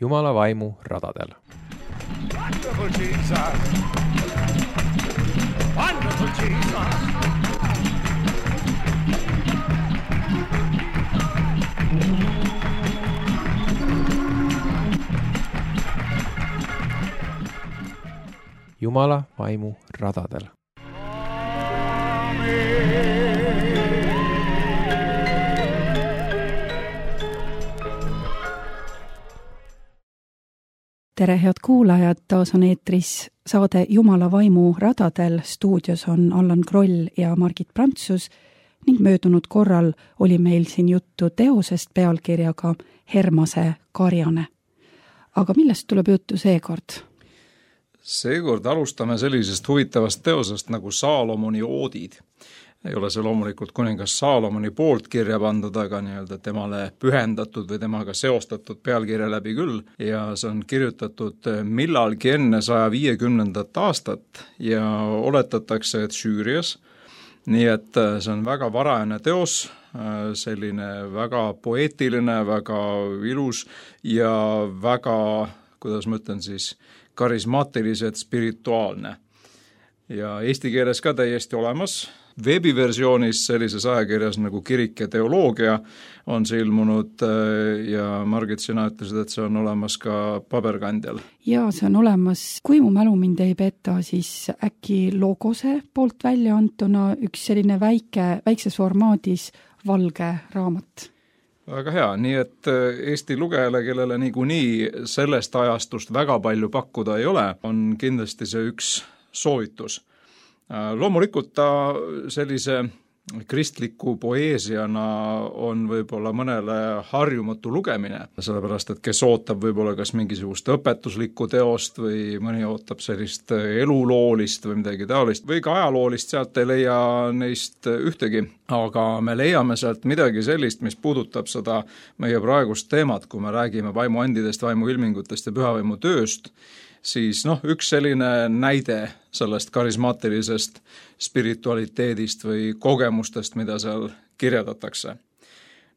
Jumala vaimu radadel. Wonderful Jesus! Wonderful Jesus! Jumala vaimu radadel. Tere, head kuulajad, taas on eetris saade Jumala vaimu radadel. Stuudios on Allan Kroll ja Margit Prantsus ning möödunud korral oli meil siin juttu teosest pealkirjaga Hermase karjane. Aga millest tuleb juttu seekord? Seekord alustame sellisest huvitavast teosest nagu Saalomoni oodid. Ei ole see loomulikult kuningas Saalomoni poolt kirja pandud, aga nii-öelda temale pühendatud või temaga seostatud pealkirja läbi küll. Ja see on kirjutatud millalgi enne 150. aastat ja oletatakse, et Süürias. Nii et see on väga varajane teos, selline väga poeetiline, väga ilus ja väga, kuidas ma ütlen siis, karismaatiliselt spirituaalne. Ja eesti keeles ka täiesti olemas. Veebiversioonis sellises ajakirjas nagu Kirik ja teoloogia on see ilmunud ja Margit, sina ütlesid, et see on olemas ka paberkandjal. Jaa, see on olemas. Kui mu mälu mind ei peta, siis äkki Logose poolt välja antuna üks selline väikses formaadis valge raamat. Väga hea, nii et Eesti lugejale, kellele niikuinii sellest ajastust väga palju pakkuda ei ole, on kindlasti see üks soovitus. Loomulikult ta sellise kristliku poeesiana on võib-olla mõnele harjumatu lugemine, sellepärast et kes ootab võib-olla kas mingisugust õpetuslikku teost või mõni ootab sellist eluloolist või midagi taolist või ka ajaloolist, sealt ei leia neist ühtegi, aga me leiame sealt midagi sellist, mis puudutab seda meie praegust teemat, kui me räägime vaimuandidest, vaimuilmingutest ja pühavaimu tööst, siis üks selline näide sellest karismaatilisest spiritualiteedist või kogemustest, mida seal kirjeldatakse.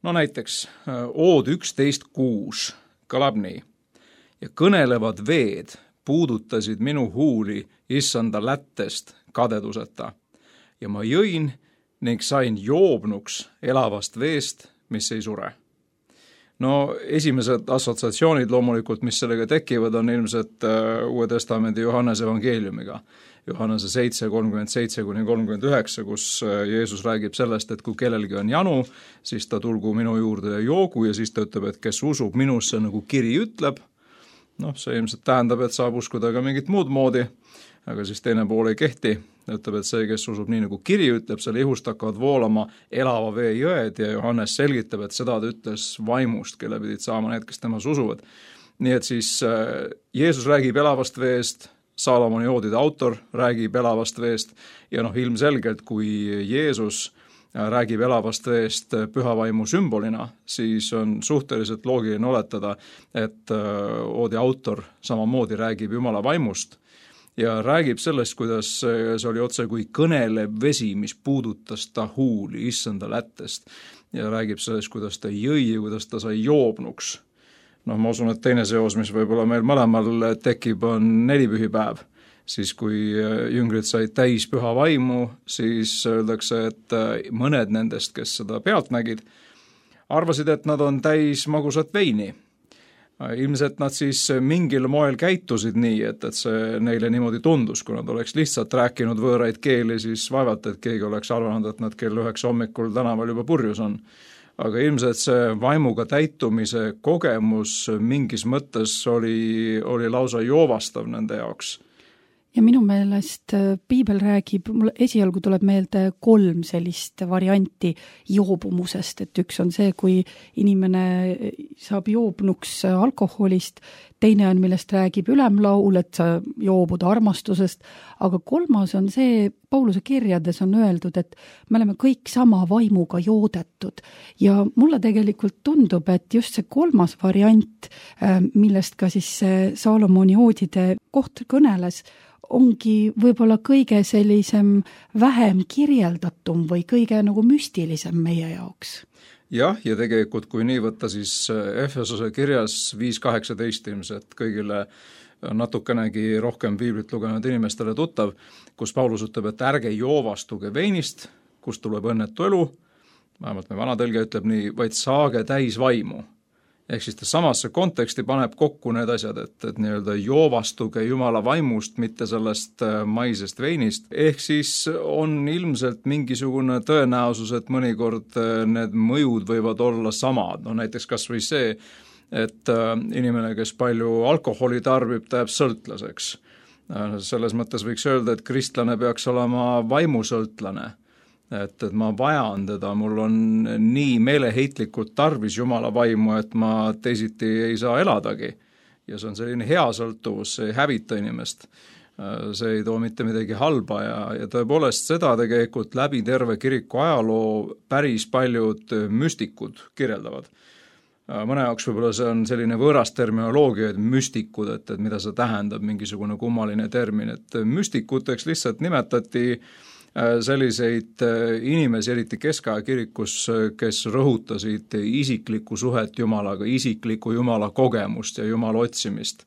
No näiteks ood 11.6 kõlab nii. Ja kõnelevad veed puudutasid minu huuli issanda lättest kadeduseta. Ja ma jõin ning sain joobnuks elavast veest, mis ei sure. No esimesed assotsiatsioonid loomulikult, mis sellega tekivad, on ilmselt Uue Testamendi Johannese evangeeliumiga. Johannese 7:37-39, kus Jeesus räägib sellest, et kui kellelgi on janu, siis ta tulgu minu juurde ja joogu ja siis ta ütleb, et kes usub minusse, nagu kiri ütleb. See ilmselt tähendab, et saab uskuda ka mingit muud moodi, aga siis teine pool ei kehti. Ta ütleb, et see, kes usub nii nagu kiri ütleb, selle ihust hakkavad voolama elava vee jõed ja Johannes selgitab, et seda ta ütles vaimust, kelle pidid saama need, kes temas usuvad. Nii et siis Jeesus räägib elavast veest, Saalomoni oodide autor räägib elavast veest ja ilmselgelt, kui Jeesus räägib elavast veest pühavaimu sümbolina, siis on suhteliselt loogiline oletada, et oodi autor samamoodi räägib Jumala vaimust ja räägib sellest, kuidas see oli otse kui kõnelev vesi, mis puudutas ta huuli issanda lättest ja räägib sellest, kuidas ta jõi ja kuidas ta sai joobnuks. Ma usun, et teine seos, mis võib-olla meil mõlemal tekib, on nelipühipäev. Siis kui jüngrid said täis püha vaimu, siis öeldakse, et mõned nendest, kes seda pealt nägid, arvasid, et nad on täis magusat veini. Ilmselt nad siis mingil moel käitusid nii, et see neile niimoodi tundus, kui nad oleks lihtsalt rääkinud võõraid keeli, siis vaevalt, et keegi oleks arvanud, et nad kell 9 hommikul tänaval juba purjus on. Aga ilmselt see vaimuga täitumise kogemus mingis mõttes oli lausa joovastav nende jaoks. Ja minu meelest piibel räägib, mul esialgu tuleb meelde 3 sellist varianti joobumusest, et üks on see, kui inimene saab joobnuks alkoholist, teine on, millest räägib ülemlaul, et sa joobud armastusest, aga 3 on see, Pauluse kirjades on öeldud, et me oleme kõik sama vaimuga joodetud ja mulle tegelikult tundub, et just see 3. variant, millest ka siis Saalomoni oodide koht kõneles, ongi võib-olla kõige sellisem vähem kirjeldatum või kõige nagu müstilisem meie jaoks. jah, ja tegelikult kui nii võtta, siis Efesose kirjas 5.18 ilmselt kõigile natukenegi rohkem piiblit lugenud inimestele tuttav, kus Paulus ütleb, et ärge joovastuge veinist, kust tuleb õnnetu elu, vähemalt meie vana tõlge ütleb nii, vaid saage täis vaimu. Ehk siis ta samasse konteksti paneb kokku need asjad, et nii-öelda joovastuge Jumala vaimust, mitte sellest maisest veinist. Ehk siis on ilmselt mingisugune tõenäosus, et mõnikord need mõjud võivad olla samad. No näiteks kas või see, et inimene, kes palju alkoholi tarbib, ta jääb sõltlaseks. Selles mõttes võiks öelda, et kristlane peaks olema vaimusõltlane. Et ma vajan teda, mul on nii meeleheitlikult tarvis Jumala vaimu, et ma teisiti ei saa eladagi. Ja see on selline hea sõltuvus, see ei hävita inimest. See ei too mitte midagi halba ja tõepoolest seda tegelikult läbi terve kiriku ajaloo päris paljud müstikud kirjeldavad. Mõne jaoks võib-olla see on selline võõras terminoloogia, et müstikud, et mida see tähendab, mingisugune kummaline termin, et müstikuteks lihtsalt nimetati selliseid inimesi, eriti keskaja kirikus, kes rõhutasid isiklikku suhet Jumalaga, isiklikku Jumala kogemust ja Jumala otsimist.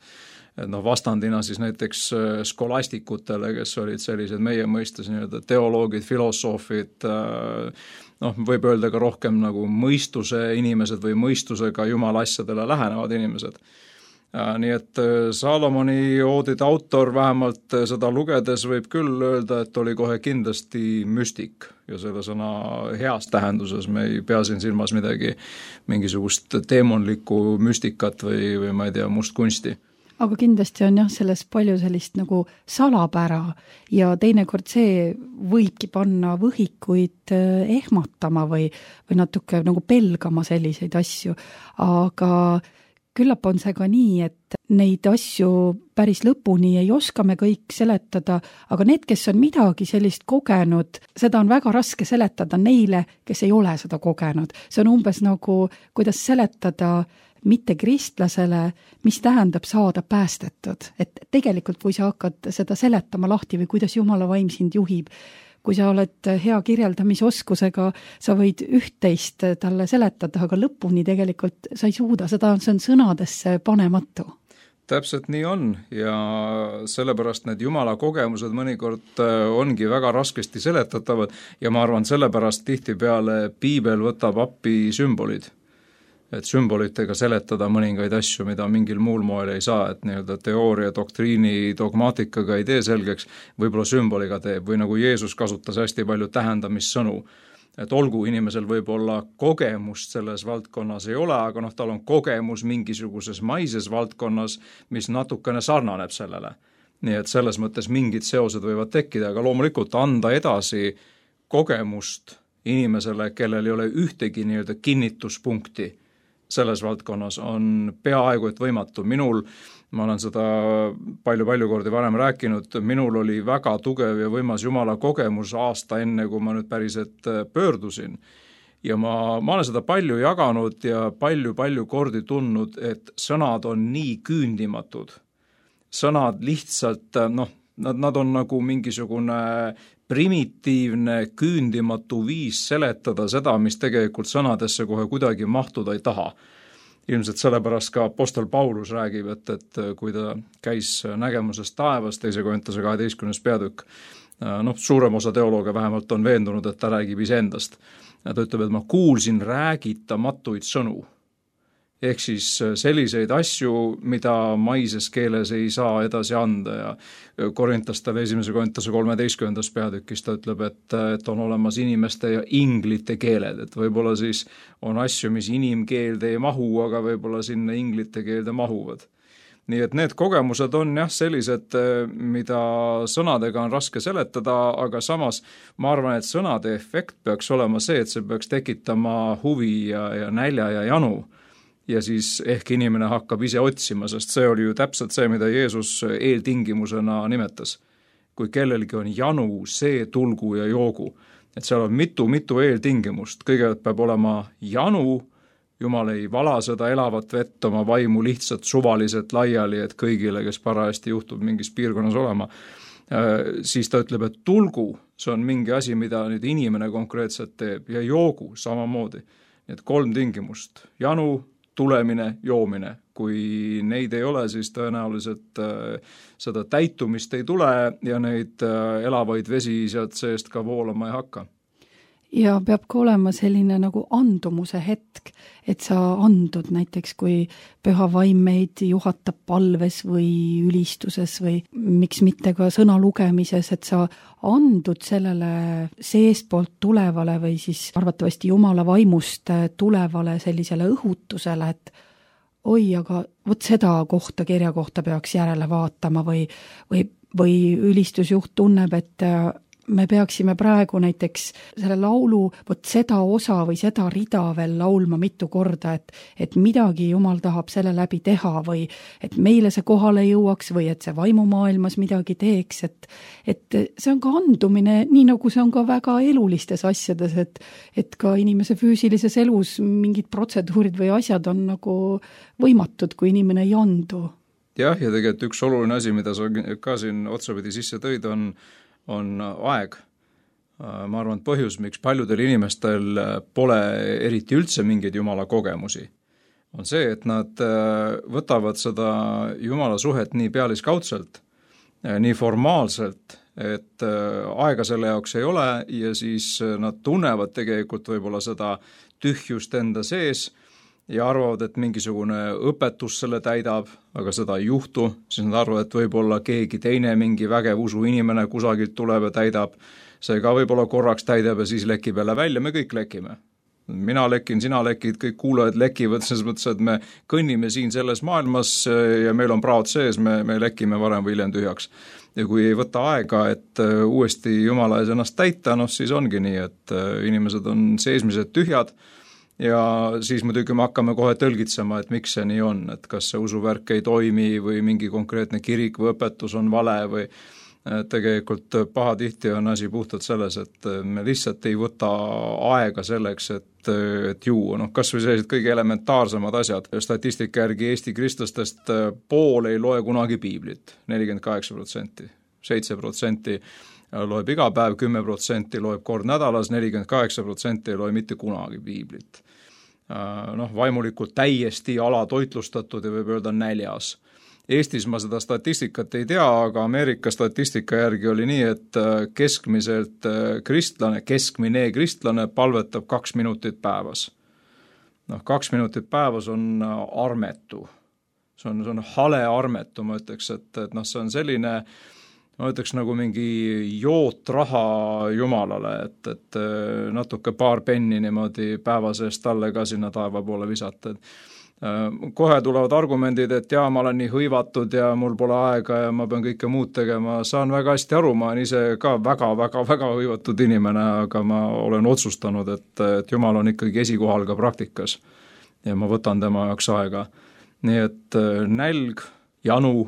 Et vastandina siis näiteks skolastikutele, kes olid sellised meie mõistes nii-öelda teoloogid, filosoofid, võib öelda ka rohkem nagu mõistuse inimesed või mõistusega Jumala asjadele lähenevad inimesed. Nii et Salomoni oodide autor vähemalt seda lugedes võib küll öelda, et oli kohe kindlasti müstik ja selle sõna heas tähenduses me ei pea siin silmas mingisugust teemonlikku müstikat või ma ei tea, mustkunsti. Aga kindlasti on jah selles palju sellist nagu salapära ja teinekord see võibki panna võhikuid ehmatama või natuke nagu pelgama selliseid asju, aga küllap on see ka nii, et neid asju päris lõpuni ei oska me kõik seletada, aga need, kes on midagi sellist kogenud, seda on väga raske seletada neile, kes ei ole seda kogenud. See on umbes nagu, kuidas seletada mitte kristlasele, mis tähendab saada päästetud. Et tegelikult, kui sa hakkad seda seletama lahti või kuidas Jumala vaim sind juhib, kui sa oled hea kirjeldamisoskusega, sa võid üht-teist talle seletada, aga lõpuni tegelikult sa ei suuda, see on sõnadesse panematu. Täpselt nii on ja sellepärast need Jumala kogemused mõnikord ongi väga raskesti seletatavad ja ma arvan, sellepärast tihtipeale piibel võtab appi sümbolid. Et sümbolitega seletada mõningaid asju, mida mingil muul moel ei saa, et nii-öelda teooria, doktriini, dogmaatikaga ei tee selgeks, võib-olla sümboliga teeb või nagu Jeesus kasutas hästi palju tähendamissõnu. Et olgu inimesel võib-olla kogemust selles valdkonnas ei ole, aga tal on kogemus mingisuguses maises valdkonnas, mis natukene sarnaneb sellele. Nii et selles mõttes mingid seosed võivad tekkida, aga loomulikult anda edasi kogemust inimesele, kellel ei ole ühtegi nii-öelda kinnituspunkti selles valdkonnas on peaaegu et võimatu. Ma olen seda palju kordi varem rääkinud, minul oli väga tugev ja võimas Jumala kogemus aasta enne, kui ma nüüd päriselt pöördusin. Ja ma olen seda palju jaganud ja palju kordi tundnud, et sõnad on nii küündimatud. Sõnad lihtsalt, nad on nagu mingisugune primitiivne, küündimatu viis seletada seda, mis tegelikult sõnadesse kohe kuidagi mahtuda ei taha. Ilmselt sellepärast ka apostel Paulus räägib, et kui ta käis nägemuses taevas, 2. Korintuse 12. peatükk, suurem osa teoloogia vähemalt on veendunud, et ta räägib iseendast. Ja ta ütleb, et ma kuulsin räägitamatuid sõnu. Ehk siis selliseid asju, mida maises keeles ei saa edasi anda ja Korintastele 1. Korintuse 13. peatükis ta ütleb, et on olemas inimeste ja inglite keeled, et võib-olla siis on asju, mis inimkeelde ei mahu, aga võib-olla sinna inglite keelde mahuvad. Nii et need kogemused on jah sellised, mida sõnadega on raske seletada, aga samas ma arvan, et sõnade efekt peaks olema see, et see peaks tekitama huvi ja nälja ja janu. Ja siis ehk inimene hakkab ise otsima, sest see oli ju täpselt see, mida Jeesus eeltingimusena nimetas. Kui kellelgi on janu, see tulgu ja joogu. Et seal on mitu eeltingimust. Kõigepealt peab olema janu, Jumal ei vala seda elavat vett oma vaimu lihtsalt suvaliselt laiali, et kõigile, kes parajasti juhtub mingis piirkonnas olema. Siis ta ütleb, et tulgu, see on mingi asi, mida nüüd inimene konkreetselt teeb ja joogu samamoodi. et 3 tingimust, janu, tulemine, joomine. Kui neid ei ole, siis tõenäoliselt seda täitumist ei tule ja neid elavaid vesi sealt seest ka voolama ei hakka. Ja peab ka olema selline nagu andumuse hetk, et sa andud näiteks, kui püha vaim meid juhatab palves või ülistuses või miks mitte ka sõna lugemises, et sa andud sellele seestpoolt tulevale või siis arvatavasti Jumala vaimust tulevale sellisele õhutusele, et oi, aga vot seda kohta, kirja kohta peaks järele vaatama või ülistusjuht tunneb, et me peaksime praegu näiteks selle laulu, vot seda osa või seda rida veel laulma mitu korda, et midagi Jumal tahab selle läbi teha või et meile see kohale jõuaks või et see vaimumaailmas midagi teeks, et see on ka andumine, nii nagu see on ka väga elulistes asjades, et ka inimese füüsilises elus mingid protseduurid või asjad on nagu võimatud, kui inimene ei andu. Jah, ja tegelikult üks oluline asi, mida sa ka siin otsapidi sisse tõid, on aeg. Ma arvan, et põhjus, miks paljudel inimestel pole eriti üldse mingeid Jumala kogemusi, on see, et nad võtavad seda Jumala suhet nii pealiskaudselt, nii formaalselt, et aega selle jaoks ei ole ja siis nad tunnevad tegelikult võib-olla seda tühjust enda sees ja arvavad, et mingisugune õpetus selle täidab, aga seda ei juhtu, siis nad arvavad, et võib-olla keegi teine, mingi vägev usuinimene kusagilt tuleb ja täidab, see ka võib-olla korraks täidab ja siis lekib jälle välja, me kõik lekime. Mina lekin, sina lekid, kõik kuulajad lekivad, selles mõttes, et me kõnnime siin selles maailmas ja meil on praod sees, me lekime varem või hiljem tühjaks. Ja kui ei võta aega, et uuesti Jumala ees ennast täita, siis ongi nii, et inimesed on seesmised tühjad, ja siis muidugi me hakkame kohe tõlgitsema, et miks see nii on, et kas see usuvärk ei toimi või mingi konkreetne kirik või õpetus on vale või tegelikult pahatihti on asi puhtalt selles, et me lihtsalt ei võta aega selleks, et juua. Kas või sellised kõige elementaarsemad asjad. Statistika järgi Eesti kristlastest pool ei loe kunagi piiblit, 48%, 7% loeb iga päev, 10% loeb kord nädalas, 48% ei loe mitte kunagi piiblit. Vaimulikult täiesti alatoitlustatud ja võib öelda näljas. Eestis ma seda statistikat ei tea, aga Ameerika statistika järgi oli nii, et keskmine kristlane palvetab 2 minutit päevas. 2 minutit päevas on armetu. See on hale armetu, ma ütleks, et see on selline ma ütleks nagu mingi jootraha Jumalale, et natuke paar penni niimoodi päeva seest talle ka sinna taeva poole visata. Kohe tulevad argumendid, et jaa, ma olen nii hõivatud ja mul pole aega ja ma pean kõike muud tegema. Saan väga hästi aru, ma olen ise ka väga hõivatud inimene, aga ma olen otsustanud, et Jumal on ikkagi esikohal ka praktikas ja ma võtan tema jaoks aega. Nii et nälg, janu,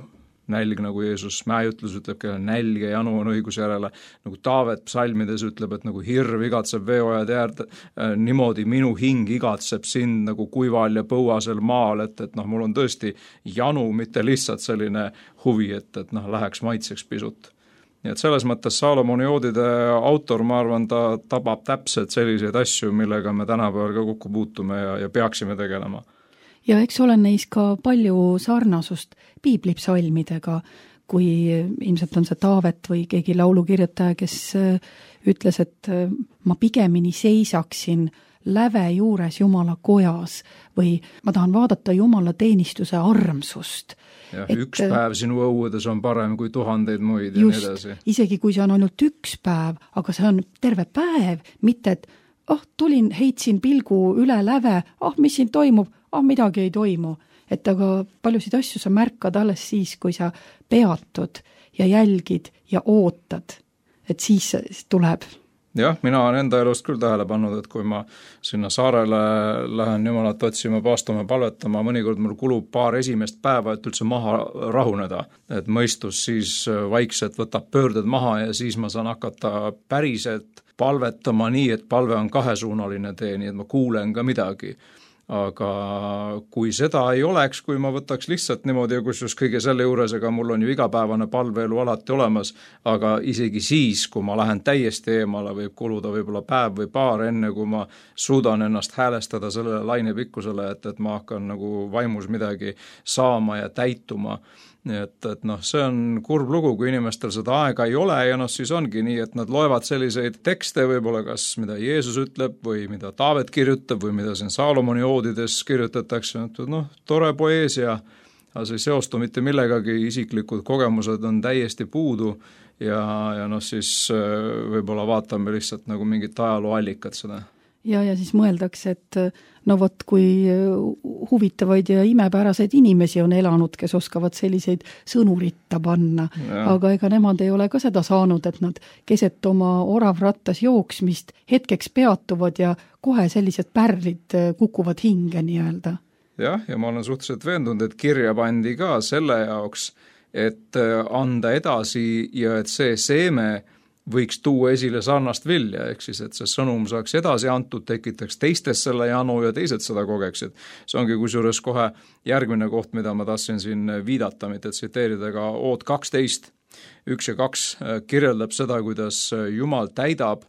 nälg, nagu Jeesus mäejutlus ütleb, kelle nälg ja janu on õiguse järele, nagu Taavet psalmides ütleb, et nagu hirv igatseb veeojad äärde, niimoodi minu hing igatseb sind nagu kuival ja põuasel maal, et mul on tõesti janu, mitte lihtsalt selline huvi, et läheks maitseks pisut. Nii et selles mõttes Salomoni joodide autor, ma arvan, ta tabab täpselt selliseid asju, millega me tänapäeval ka kokku puutume ja peaksime tegelema. Ja eks ole neis ka palju sarnasust piiblipsalmidega, kui ilmselt on see Taavet või keegi laulukirjutaja, kes ütles, et ma pigemini seisaksin läve juures Jumala kojas või ma tahan vaadata Jumala teenistuse armsust. Ja, üks päev sinu õuedes on parem kui 1000 muid ja nii edasi. Isegi kui see on ainult üks päev, aga see on terve päev, mitte et tulin, heitsin pilgu üle läve, mis siin toimub, midagi ei toimu. Et aga paljusid asju sa märkad alles siis, kui sa peatud ja jälgid ja ootad, et siis tuleb. Jah, mina olen enda elust küll tähele pannud, et kui ma sinna saarele lähen Jumalat otsima, paastuma, palvetama, mõnikord mul kulub paar esimest päeva, et üldse maha rahuneda. Et mõistus siis vaikselt võtab pöörded maha ja siis ma saan hakata päriselt palvetama nii, et palve on kahesuunaline tee, nii et ma kuulen ka midagi. aga kui seda ei oleks, kui ma võtaks lihtsalt niimoodi ja kusjuures kõige selle juures, ega mul on ju igapäevane palveelu alati olemas, aga isegi siis, kui ma lähen täiesti eemale, võib kuluda võib-olla päev või paar enne, kui ma suudan ennast häälestada sellele lainepikkusele, et ma hakkan nagu vaimus midagi saama ja täituma. Nii et see on kurb lugu, kui inimestel seda aega ei ole ja siis ongi nii, et nad loevad selliseid tekste võib-olla kas mida Jeesus ütleb või mida Taavet kirjutab või mida siin Saalomoni oodides kirjutatakse, tore poeesia, aga see ei seostu mitte millegagi, isiklikud kogemused on täiesti puudu ja siis võib-olla vaatame lihtsalt nagu mingit ajalooallikat seda. Ja siis mõeldakse, et vot kui huvitavaid ja imepäraseid inimesi on elanud, kes oskavad selliseid sõnuritta panna, aga ega nemad ei ole ka seda saanud, et nad keset oma oravrattas jooksmist hetkeks peatuvad ja kohe sellised pärlid kukuvad hinge nii-öelda. Ja ma olen suhteliselt veendunud, et kirja pandi ka selle jaoks, et anda edasi ja et see seeme võiks tuua esile sarnast vilja, ehk siis, et see sõnum saaks edasi antud, tekitaks teistes selle janu ja teised seda kogeksid. See ongi kusjuures kohe järgmine koht, mida ma tahtsin siin viidata, mitte tsiteerida ka Ood 12, 1 ja 2 kirjeldab seda, kuidas Jumal täidab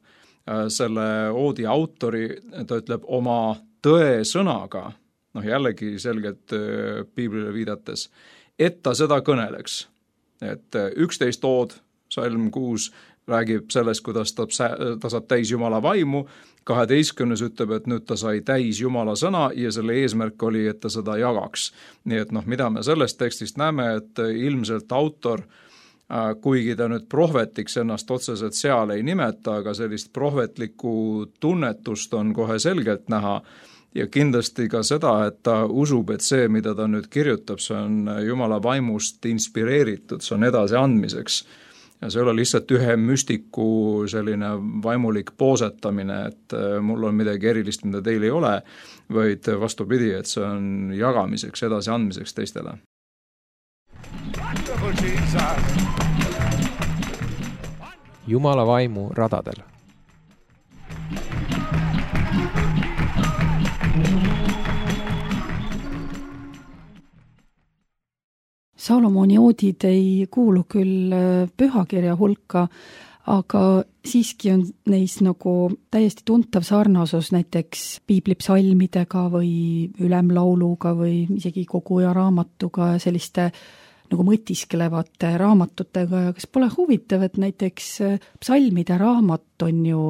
selle oodi autori, ta ütleb oma tõe sõnaga, jällegi selgelt piiblile viidates, et ta seda kõneleks. Et 11 ood, salm 6, räägib sellest, kuidas ta saab täis Jumala vaimu, 12 ütleb, et nüüd ta sai täis Jumala sõna ja selle eesmärk oli, et ta seda jagaks. Nii et mida me sellest tekstist näeme, et ilmselt autor, kuigi ta nüüd prohvetiks ennast otseselt seal ei nimeta, aga sellist prohvetlikku tunnetust on kohe selgelt näha ja kindlasti ka seda, et ta usub, et see, mida ta nüüd kirjutab, see on Jumala vaimust inspireeritud, see on edasi andmiseks. Ja see ei ole lihtsalt ühe müstiku selline vaimulik poosetamine, et mul on midagi erilist, mida teil ei ole, vaid vastupidi, et see on jagamiseks, edasi andmiseks teistele. Jumala vaimu radadel. Salomoni oodid ei kuulu küll pühakirja hulka, aga siiski on neis nagu täiesti tuntav sarnasus näiteks piiblipsalmidega või ülemlauluga või isegi koguja raamatuga ja selliste nagu mõtiskelevate raamatutega ja kas pole huvitav, et näiteks psalmide raamat on ju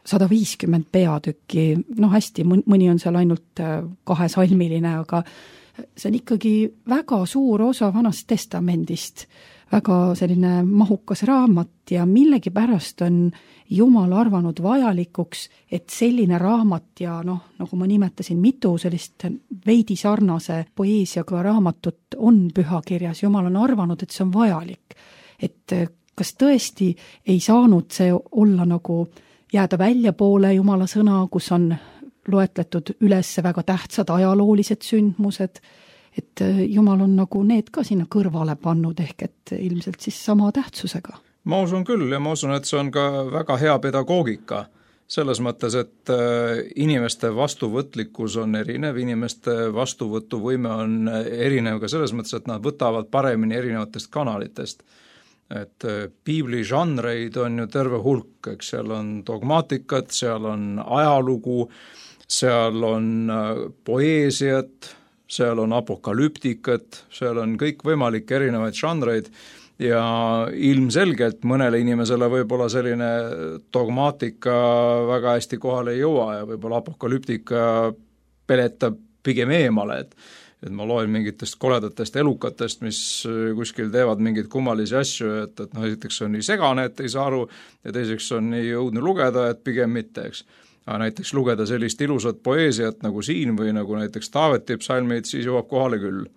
150 peatükki, hästi, mõni on seal ainult 2-salmiline, aga see on ikkagi väga suur osa Vanast Testamendist, väga selline mahukas raamat ja millegipärast on Jumal arvanud vajalikuks, et selline raamat ja nagu ma nimetasin, mitu sellist veidi sarnase poeesiaga raamatut on pühakirjas. Jumal on arvanud, et see on vajalik. Et kas tõesti ei saanud see olla nagu jääda väljapoole Jumala sõna, kus on loetletud üles väga tähtsad ajaloolised sündmused, et Jumal on nagu need ka sinna kõrvale pannud, ehk et ilmselt siis sama tähtsusega. Ma usun küll ja ma usun, et see on ka väga hea pedagoogika. Selles mõttes, et inimeste vastuvõtlikkus on erinev, inimeste vastuvõtuvõime on erinev ka selles mõttes, et nad võtavad paremini erinevatest kanalitest. Et piibli žanreid on ju terve hulk, eks seal on dogmaatikat, seal on ajalugu, seal on poeesiat, seal on apokalüptikat, seal on kõik võimalikke erinevaid žanreid ja ilmselgelt mõnele inimesele võib-olla selline dogmaatika väga hästi kohale ei jõua ja võib-olla apokalüptika peletab pigem eemale, et ma loen mingitest koledatest elukatest, mis kuskil teevad mingeid kummalisi asju, et esiteks on nii segane, et ei saa aru ja teiseks on nii õudne lugeda, et pigem mitte, eks. Aga näiteks lugeda sellist ilusat poeesiat nagu siin või nagu näiteks Taaveti psalmid, siis jõuab kohale küll.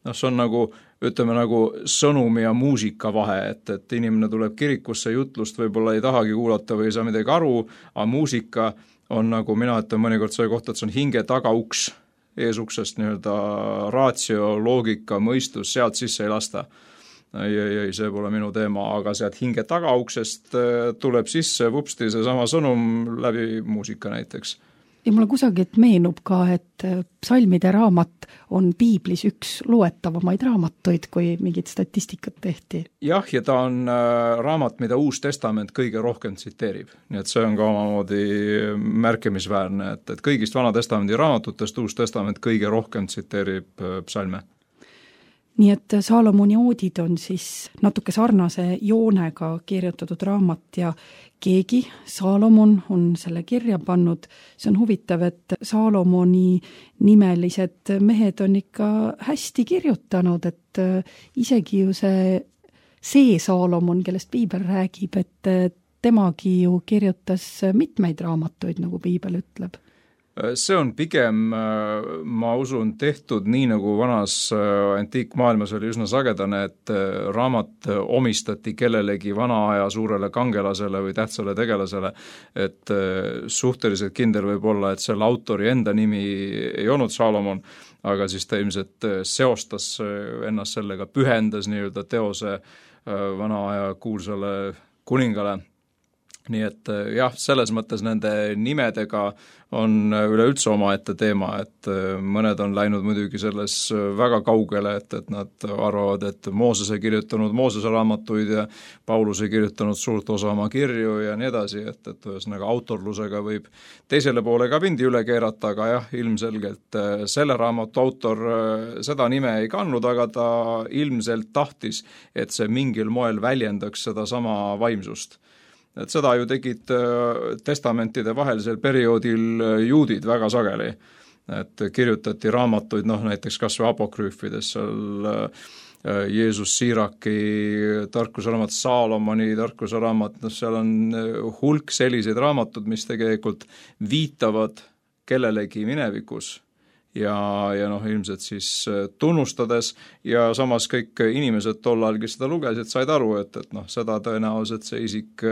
See on nagu, ütleme nagu sõnumi ja muusika vahe, et inimene tuleb kirikusse, jutlust võib-olla ei tahagi kuulata või ei saa midagi aru, aga muusika on nagu mina ütlen mõnikord selle kohta, et see on hinge tagauks, eesuksest nii-öelda raatsio, loogika, mõistus, sealt sisse ei lasta. Ei, see pole minu teema, aga sealt hinge tagauksest tuleb sisse vupsti seesama sõnum läbi muusika näiteks. Ja mulle kusagilt meenub ka, et psalmide raamat on piiblis üks loetavamaid raamatuid, kui mingit statistikat tehti. Jah, ja ta on raamat, mida Uus Testament kõige rohkem tsiteerib. Nii et see on ka omamoodi märkimisväärne, et kõigist Vana Testamendi raamatutest Uus Testament kõige rohkem tsiteerib psalme. Nii et Saalomoni oodid on siis natuke sarnase joonega kirjutatud raamat ja keegi, Saalomon, on selle kirja pannud. See on huvitav, et Saalomoni nimelised mehed on ikka hästi kirjutanud, et isegi ju see Saalomon, kellest piibel räägib, et temagi ju kirjutas mitmeid raamatuid, nagu piibel ütleb. See on pigem, ma usun, tehtud nii, nagu vanas antiikmaailmas oli üsna sagedane, et raamat omistati kellelegi vana aja suurele kangelasele või tähtsale tegelasele, et suhteliselt kindel võib olla, et selle autori enda nimi ei olnud Saalomon, aga siis ta ilmselt seostas ennast sellega, pühendas nii-öelda teose vana aja kuulsale kuningale. Nii et jah, selles mõttes nende nimedega on üleüldse omaette teema, et mõned on läinud muidugi selles väga kaugele, et nad arvavad, et Moosese kirjutanud Moosese raamatuid ja Pauluse kirjutanud suurt osa oma kirju ja nii edasi, et ühesõnaga autorlusega võib teisele poole ka vindi üle keerata, aga jah, ilmselgelt selle raamatu autor seda nime ei kandnud, aga ta ilmselt tahtis, et see mingil moel väljendaks seda sama vaimsust. Et seda ju tegid testamentide vahelisel perioodil juudid väga sageli, et kirjutati raamatuid, näiteks kas või apokrüüfides, seal Jeesus Siiraki tarkusraamat, Saalomoni tarkusraamat, seal on hulk selliseid raamatud, mis tegelikult viitavad kellelegi minevikus ja ilmselt siis tunnustades ja samas kõik inimesed tollal, kes seda lugesid, said aru, et seda tõenäoliselt see isik,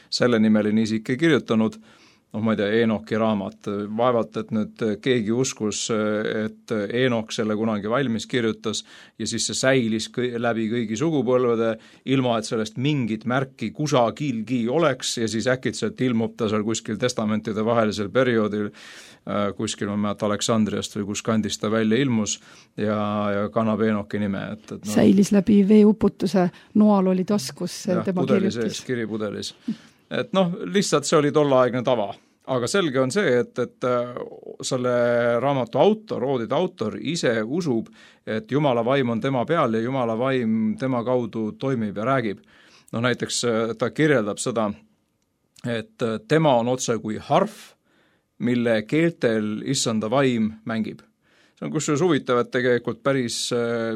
selle nimeline isik ei kirjutanud, ma ei tea, Eenoki raamat, vaevalt, et nüüd keegi uskus, et Eenok selle kunagi valmis kirjutas ja siis see säilis läbi kõigi sugupõlvede, ilma et sellest mingit märki kusagilgi oleks ja siis äkitselt ilmub ta seal kuskil testamentide vahelisel perioodil, kuskil ma mäletan Aleksandriast või kus kandist ta välja ilmus ja kannab Eenoki nime. Säilis läbi veeuputuse, noal oli taskus tema kirjutis. Kiripudelis. Et lihtsalt see oli tollaegne tava. Aga selge on see, et selle raamatu autor, oodide autor ise usub, et Jumala vaim on tema peal ja Jumala vaim tema kaudu toimib ja räägib. Näiteks ta kirjeldab seda, et tema on otse kui harf, mille keeltel issanda vaim mängib. See on kusjuures huvitav, et tegelikult päris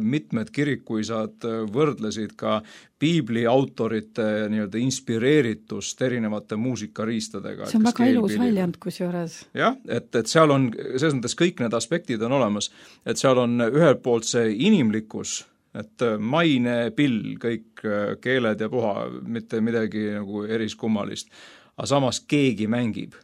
mitmed kirikuisad võrdlesid ka piibli autorite nii-öelda inspireeritust erinevate muusikariistadega. See on väga ilus väljend kusjuures. Jah, et seal on, selles mõttes kõik need aspektid on olemas, et seal on ühelt poolt see inimlikkus, et maine, pill, kõik keeled ja puha, mitte midagi nagu eriskummalist, aga samas keegi mängib.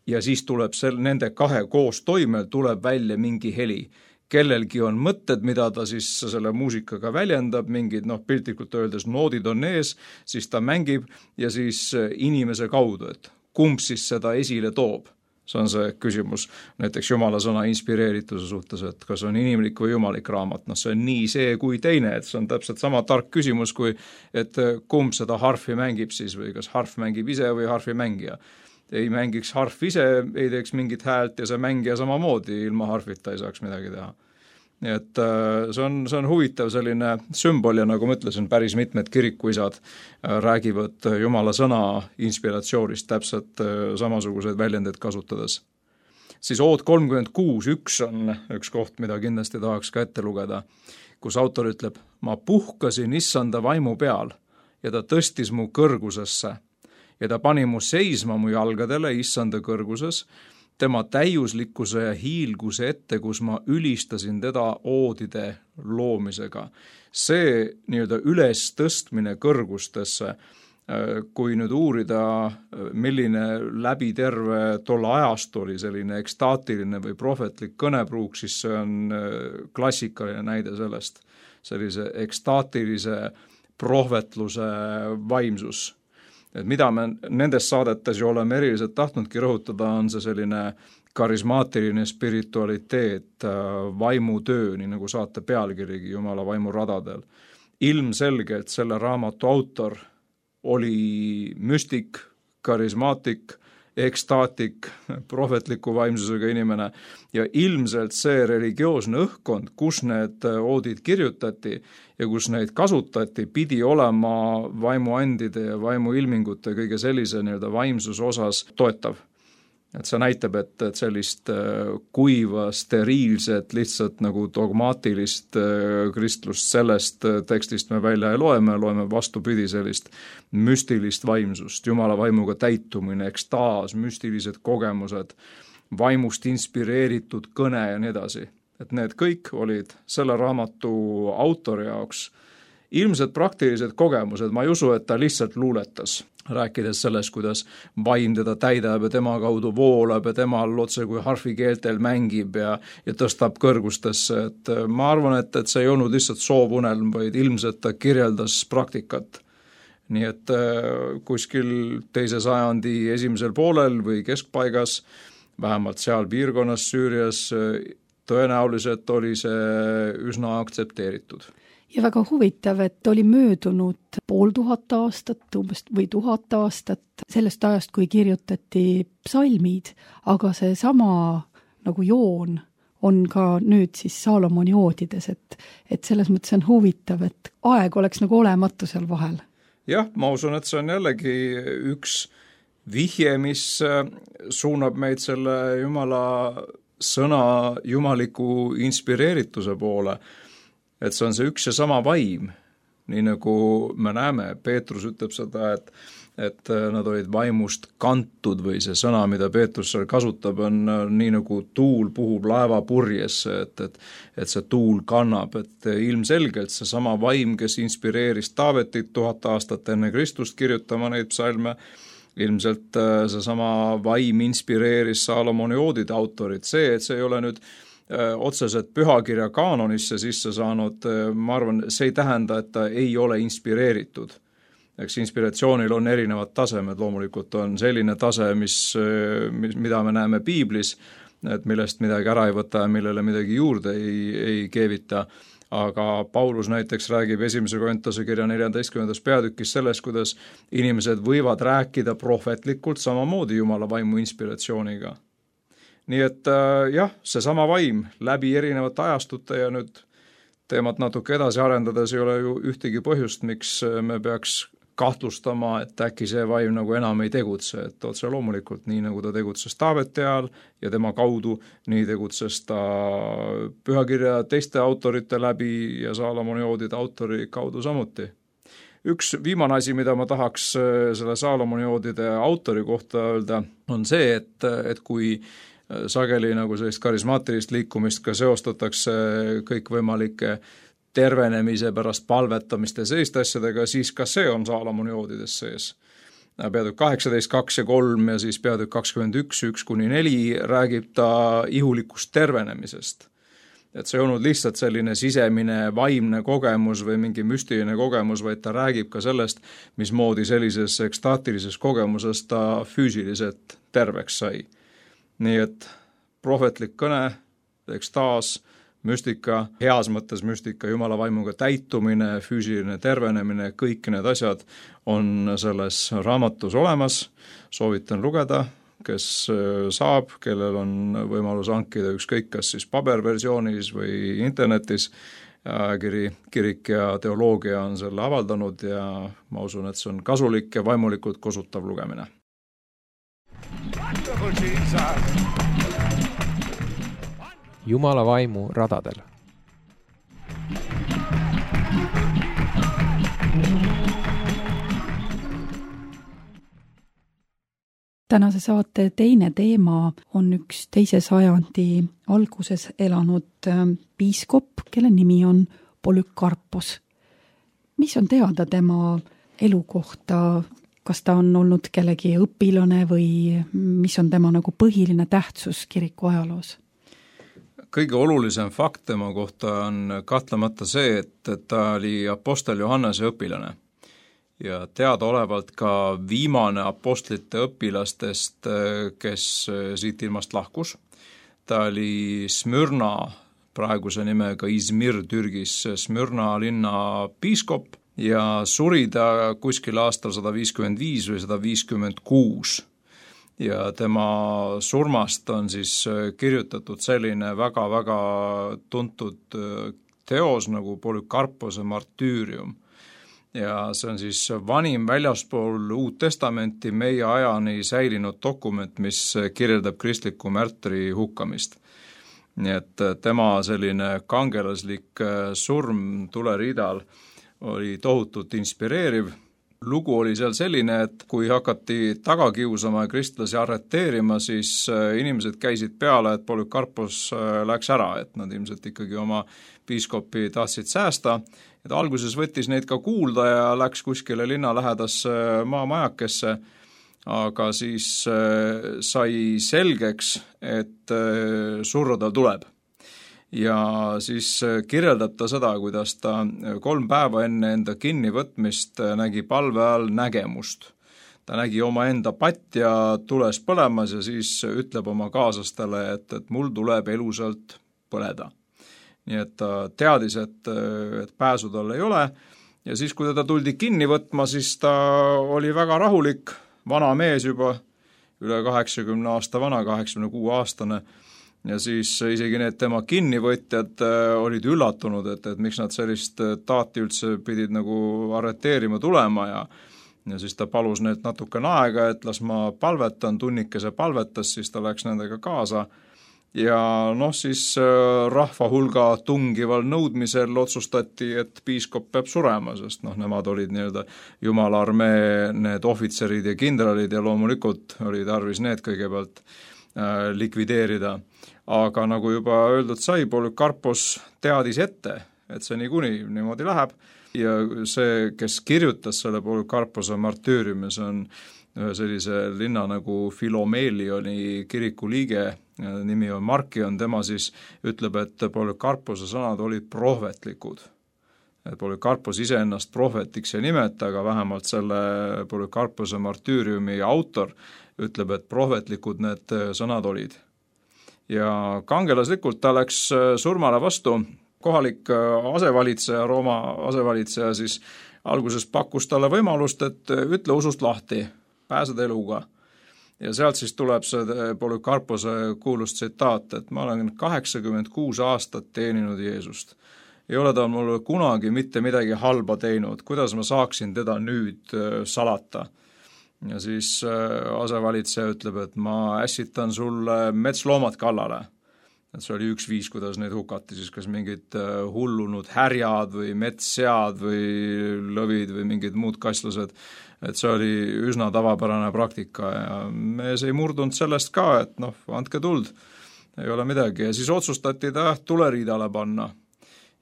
Ja siis tuleb nende kahe koos toimel tuleb välja mingi heli. Kellelgi on mõtted, mida ta siis selle muusikaga väljendab, mingid piltlikult öeldes noodid on ees, siis ta mängib ja siis inimese kaudu, et kumb siis seda esile toob. See on see küsimus näiteks Jumala sõna inspireerituse suhtes, et kas on inimlik või jumalik raamat. See on nii see kui teine, et see on täpselt sama tark küsimus, kui et kumb seda harfi mängib siis või kas harf mängib ise või harfi mängija. Ei mängiks harf ise, ei teeks mingit häält ja see mängija samamoodi ilma harfita ei saaks midagi teha. Nii et see on huvitav selline sümbol ja nagu ma ütlesin, päris mitmed kirikuisad räägivad Jumala sõna inspiratsioonist täpselt samasuguseid väljendeid kasutades. Siis ood 36.1 on üks koht, mida kindlasti tahaks ka ette lugeda, kus autor ütleb, ma puhkasin issanda vaimu peal ja ta tõstis mu kõrgusesse ja ta pani mu seisma mu jalgadele issanda kõrguses, tema täiuslikkuse ja hiilguse ette, kus ma ülistasin teda oodide loomisega. See nii-öelda üles tõstmine kõrgustesse, kui nüüd uurida, milline läbi terve tolle ajast oli selline ekstaatiline või prohvetlik kõnepruuk, siis see on klassikaline näide sellest, sellise ekstaatilise prohvetluse vaimsus. Et mida me nendes saadetes ju oleme eriliselt tahtnudki rõhutada, on see selline karismaatiline spiritualiteet, vaimutöö, nii nagu saate pealkirigi Jumala vaimu radadel. Ilmselgelt selle raamatu autor oli müstik, karismaatik, ekstaatik, prohvetliku vaimsusega inimene ja ilmselt see religioosne õhkkond, kus need oodid kirjutati ja kus neid kasutati, pidi olema vaimuandide ja vaimuilmingute kõige sellise nii-öelda vaimsuse osas toetav. Et see näitab, et sellist kuiva, steriilset, lihtsalt nagu dogmaatilist kristlust sellest tekstist me välja ei loeme vastupidi sellist müstilist vaimsust, Jumala vaimuga täitumine, ekstaas, müstilised kogemused, vaimust inspireeritud kõne ja nii edasi. Et need kõik olid selle raamatu autori jaoks ilmselt praktilised kogemused, ma ei usu, et ta lihtsalt luuletas, rääkides sellest, kuidas vaim teda täidab ja tema kaudu voolab ja temal otse kui harfikeeltel mängib ja tõstab kõrgustesse, et ma arvan, et see ei olnud lihtsalt soovunelm, vaid ilmselt ta kirjeldas praktikat. Nii et kuskil 2. sajandi esimesel poolel või keskpaigas, vähemalt seal piirkonnas Süürias, tõenäoliselt oli see üsna aktsepteeritud. Ja väga huvitav, et oli möödunud 500 aastat umbes või 1000 aastat sellest ajast, kui kirjutati psalmid, aga see sama nagu joon on ka nüüd siis Saalomoni oodides, et selles mõttes on huvitav, et aeg oleks nagu olematu seal vahel. Jah, ma usun, et see on jällegi üks vihje, mis suunab meid selle Jumala sõna jumaliku inspireerituse poole. Et see on see üks ja sama vaim, nii nagu me näeme, Peetrus ütleb seda, et nad olid vaimust kantud või see sõna, mida Peetrus seal kasutab, on nii nagu tuul puhub laeva purjesse, et see tuul kannab, et ilmselgelt see sama vaim, kes inspireeris Taavetit 1000 aastat enne Kristust kirjutama neid psalme, ilmselt see sama vaim inspireeris Saalomoni oodide autorit, et see ei ole nüüd otseselt pühakirja kaanonisse sisse saanud, ma arvan, see ei tähenda, et ta ei ole inspireeritud. Eks inspiratsioonil on erinevad tasemed, loomulikult on selline tase, mida me näeme piiblis, et millest midagi ära ei võta ja millele midagi juurde ei keevita, aga Paulus näiteks räägib 1. Korintuse kirja 14. peatükis sellest, kuidas inimesed võivad rääkida prohvetlikult samamoodi Jumala vaimu inspiratsiooniga. Nii et jah, see sama vaim läbi erinevate ajastute ja nüüd teemat natuke edasi arendades ei ole ju ühtegi põhjust, miks me peaks kahtlustama, et äkki see vaim nagu enam ei tegutse, et otse loomulikult nii nagu ta tegutses Taaveti ajal ja tema kaudu, nii tegutses ta pühakirja teiste autorite läbi ja Saalomoni oodide autori kaudu samuti. Üks viimane asi, mida ma tahaks selle Saalomoni oodide autori kohta öelda, on see, et kui sageli nagu sellist karismaatilist liikumist ka seostatakse kõikvõimalike tervenemise pärast palvetamist ja selliste asjadega, siis ka see on Saalomoni oodides sees. Peatükk 18, 2 ja 3 ja siis peatükk 21, 1-4 räägib ta ihulikust tervenemisest. Et see ei olnud lihtsalt selline sisemine vaimne kogemus või mingi müstiline kogemus, vaid ta räägib ka sellest, mismoodi sellises ekstaatilises kogemuses ta füüsiliselt terveks sai. Nii et prohvetlik kõne, ekstaas, müstika, heas mõttes müstika, Jumala vaimuga täitumine, füüsiline tervenemine, kõik need asjad on selles raamatus olemas. Soovitan lugeda, kes saab, kellel on võimalus hankida ükskõik kas siis paberversioonis või internetis. Kirik ja teoloogia on selle avaldanud ja ma usun, et see on kasulik ja vaimulikult kosutav lugemine. Jumala vaimu radadel. Tänase saate teine teema on üks 2. sajandi alguses elanud piiskop, kelle nimi on Polükarpos. Mis on teada tema elu kohta? Kas ta on olnud kellegi õpilane või mis on tema nagu põhiline tähtsus kiriku ajaloos? Kõige olulisem fakt tema kohta on kahtlemata see, et ta oli apostel Johannese õpilane. Ja teadaolevalt ka viimane apostlite õpilastest, kes siit ilmast lahkus. ta oli Smürna, praeguse nimega Izmir Türgis, Smürna linna piiskop ja suri ta kuskil aastal 155 või 156. Ja tema surmast on siis kirjutatud selline väga-väga tuntud teos nagu Polükarpose martüürium. Ja see on siis vanim väljaspool Uut Testamenti meie ajani säilinud dokument, mis kirjeldab kristliku märtri hukkamist. Nii et tema selline kangelaslik surm tuleriidal oli tohutult inspireeriv. Lugu oli seal selline, et kui hakati taga kiusama ja kristlasi arreteerima, siis inimesed käisid peale, et Polükarpos läks ära, et nad ilmselt ikkagi oma piiskopi tahtsid säästa. Et alguses võttis neid ka kuulda ja läks kuskile linna lähedasse maamajakesse, aga siis sai selgeks, et surra tal tuleb. Ja siis kirjeldab ta seda, kuidas ta 3 päeva enne enda kinnivõtmist nägi palve all nägemust. Ta nägi oma enda patja tules põlemas ja siis ütleb oma kaaslastele, et mul tuleb elusalt põleda. Nii et ta teadis, et pääsu tal ei ole ja siis, kui teda tuldi kinni võtma, siis ta oli väga rahulik, vana mees juba, üle 80 aasta vana, 86-aastane ja siis isegi need tema kinnivõtjad olid üllatunud, et miks nad sellist taati üldse pidid nagu arreteerima tulema ja siis ta palus neilt natukene aega, et las ma palvetan, tunnikese palvetas, siis ta läks nendega kaasa. Ja siis rahva hulga tungival nõudmisel otsustati, et piiskop peab surema, sest nemad olid nii-öelda Jumala armee, need ohvitserid ja kindralid ja loomulikult oli tarvis need kõigepealt likvideerida. Aga nagu juba öeldud sai, Polükarpos teadis ette, et see niimoodi läheb ja see, kes kirjutas selle Polükarpose martüüriumi, see on ühe sellise linna nagu Filomeelioni kiriku liige, nimi on Markion, tema siis ütleb, et Polükarpose sõnad olid prohvetlikud. Polükarpos ise ennast prohvetiks ei nimeta, aga vähemalt selle Polükarpose martüüriumi autor ütleb, et prohvetlikud need sõnad olid. Ja kangelaslikult ta läks surmale vastu. Kohalik asevalitseja, Rooma asevalitseja siis alguses pakkus talle võimalust, et ütle usust lahti, pääsed eluga. Ja sealt siis tuleb see Polükarpose kuulus tsitaat, et ma olen 86 aastat teeninud Jeesust. Ei ole ta mulle kunagi mitte midagi halba teinud, kuidas ma saaksin teda nüüd salata. Ja siis asevalitseja ütleb, et ma ässitan sulle metsloomad kallale. Et see oli üks viis, kuidas neid hukati, siis kas mingid hullunud härjad või metssead või lõvid või mingid muud kaslused. Et see oli üsna tavapärane praktika ja mees ei murdunud sellest ka, et andke tuld, ei ole midagi. Ja siis otsustati ta tuleriidale panna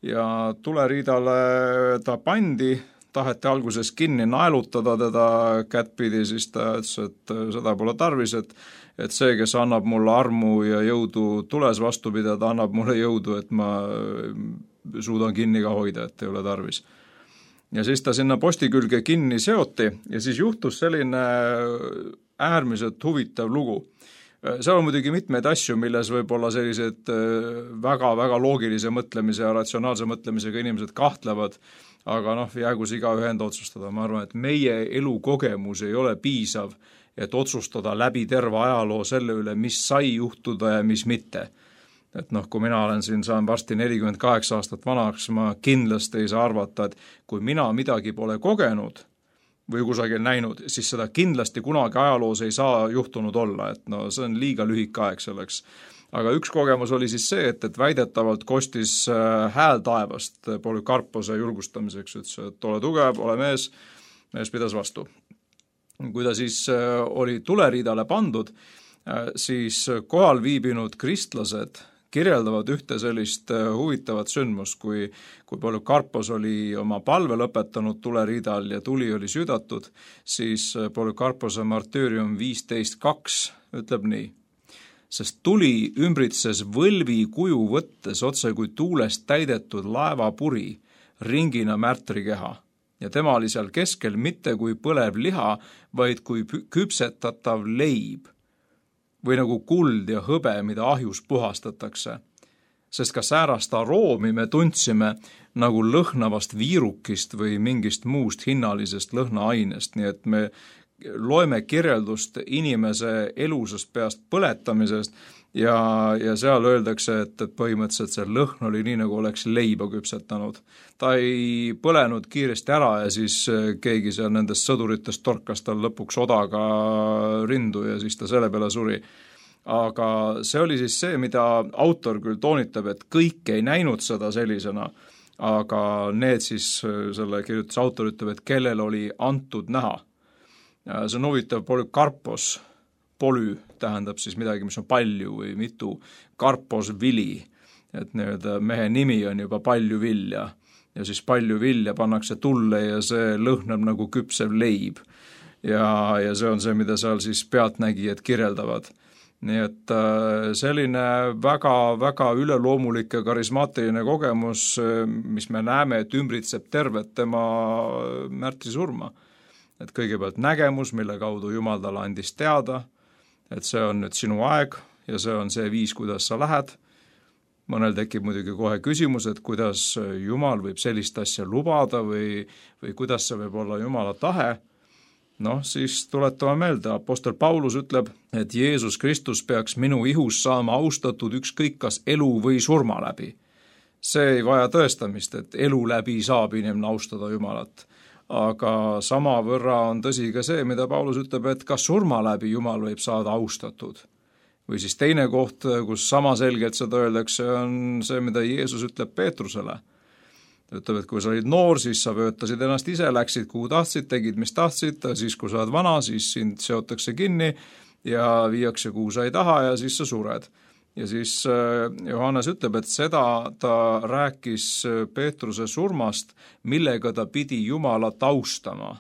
ja tuleriidale ta pandi, taheti alguses kinni naelutada teda kättpidi, siis ta ütles, et seda pole tarvis, et see, kes annab mulle armu ja jõudu tules vastu pidada, annab mulle jõudu, et ma suudan kinni ka hoida, et ei ole tarvis. Ja siis ta sinna posti külge kinni seoti ja siis juhtus selline äärmiselt huvitav lugu. Seal on muidugi mitmeid asju, milles võib-olla sellised väga-väga loogilise mõtlemise ja ratsionaalse mõtlemisega inimesed kahtlevad, aga jäägu see igaühe enda otsustada. Ma arvan, et meie elukogemus ei ole piisav, et otsustada läbi terve ajaloo selle üle, mis sai juhtuda ja mis mitte. Et kui mina olen siin, saan varsti 48 aastat vanaks, ma kindlasti ei saa arvata, et kui mina midagi pole kogenud või kusagil näinud, siis seda kindlasti kunagi ajaloos ei saa juhtunud olla, et see on liiga lühike aeg selleks. Aga üks kogemus oli siis see, et väidetavalt kostis hääl taevast Polükarpose julgustamiseks, ütles, et ole tugev, ole mees pidas vastu. Kui ta siis oli tuleriidale pandud, siis kohal viibinud kristlased kirjeldavad ühte sellist huvitavat sündmust, kui Polükarpos oli oma palve lõpetanud tuleriidal ja tuli oli südatud, siis Polükarpose martüürium 15.2 ütleb nii. Sest tuli ümbritses võlvi kuju võttes otse kui tuulest täidetud laevapuri ringina märtrikeha ja tema oli seal keskel mitte kui põlev liha, vaid kui küpsetatav leib. või nagu kuld ja hõbe, mida ahjus puhastatakse. Sest ka säärast aroomi me tundsime nagu lõhnavast viirukist või mingist muust hinnalisest lõhnaainest, nii et me loeme kirjeldust inimese elusast peast põletamisest ja seal öeldakse, et põhimõtteliselt see lõhn oli nii, nagu oleks leiba küpsetanud. Ta ei põlenud kiiresti ära ja siis keegi seal nendest sõduritest torkas tal lõpuks odaga rindu ja siis ta selle peale suri. Aga see oli siis see, mida autor küll toonitab, et kõik ei näinud seda sellisena, aga need siis, selle kirjutuse autor ütleb, et kellel oli antud näha. See on huvitav, Polykarpos, polü tähendab siis midagi, mis on palju või mitu, karpos vili, et nii-öelda mehe nimi on juba palju vilja ja siis palju vilja pannakse tulle ja see lõhnab nagu küpsev leib ja see on see, mida seal siis pealtnägijad kirjeldavad. Nii et selline väga-väga üleloomulik ja karismaatiline kogemus, mis me näeme, et ümbritseb tervet tema märtrisurma. Et kõigepealt nägemus, mille kaudu Jumal talle andis teada, et see on nüüd sinu aeg ja see on see viis, kuidas sa lähed. Mõnel tekib muidugi kohe küsimus, et kuidas Jumal võib sellist asja lubada või kuidas see võib olla Jumala tahe. Siis tuletame meelde, apostel Paulus ütleb, et Jeesus Kristus peaks minu ihus saama austatud ükskõik kas elu või surma läbi. See ei vaja tõestamist, et elu läbi saab inimene austada Jumalat. Aga samavõrra on tõsi ka see, mida Paulus ütleb, et ka surma läbi Jumal võib saada austatud. Või siis teine koht, kus sama selgelt seda öeldakse, on see, mida Jeesus ütleb Peetrusele. Ta ütleb, et kui sa olid noor, siis sa vöötasid ennast ise, läksid kuhu tahtsid, tegid mis tahtsid, siis kui sa oled vana, siis sind seotakse kinni ja viiakse kuhu sa ei taha ja siis sa sured. Ja siis Johannes ütleb, et seda ta rääkis Peetruse surmast, millega ta pidi Jumalat austama.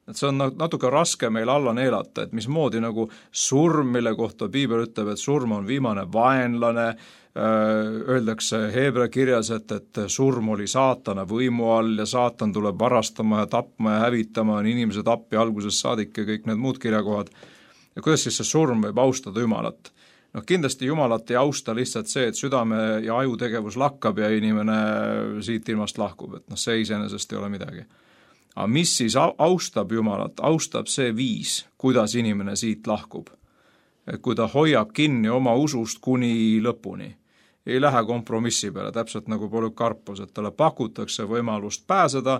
Et see on natuke raske meil alla neelata, et mismoodi nagu surm, mille kohta Piibel ütleb, et surm on viimane vaenlane, öeldakse Heebrea kirjas, et surm oli saatana võimu all ja saatan tuleb varastama ja tapma ja hävitama, on inimese tappi algusest saadik ja kõik need muud kirjakohad. Ja kuidas siis see surm võib austada Jumalat? Kindlasti Jumalat ei austa lihtsalt see, et südame ja ajutegevus lakkab ja inimene siit ilmast lahkub, et see iseenesest ei ole midagi. Aga mis siis austab Jumalat? Austab see viis, kuidas inimene siit lahkub. Et kui ta hoiab kinni oma usust kuni lõpuni, ei lähe kompromissi peale, täpselt nagu Polykarpos, et talle pakutakse võimalust pääseda.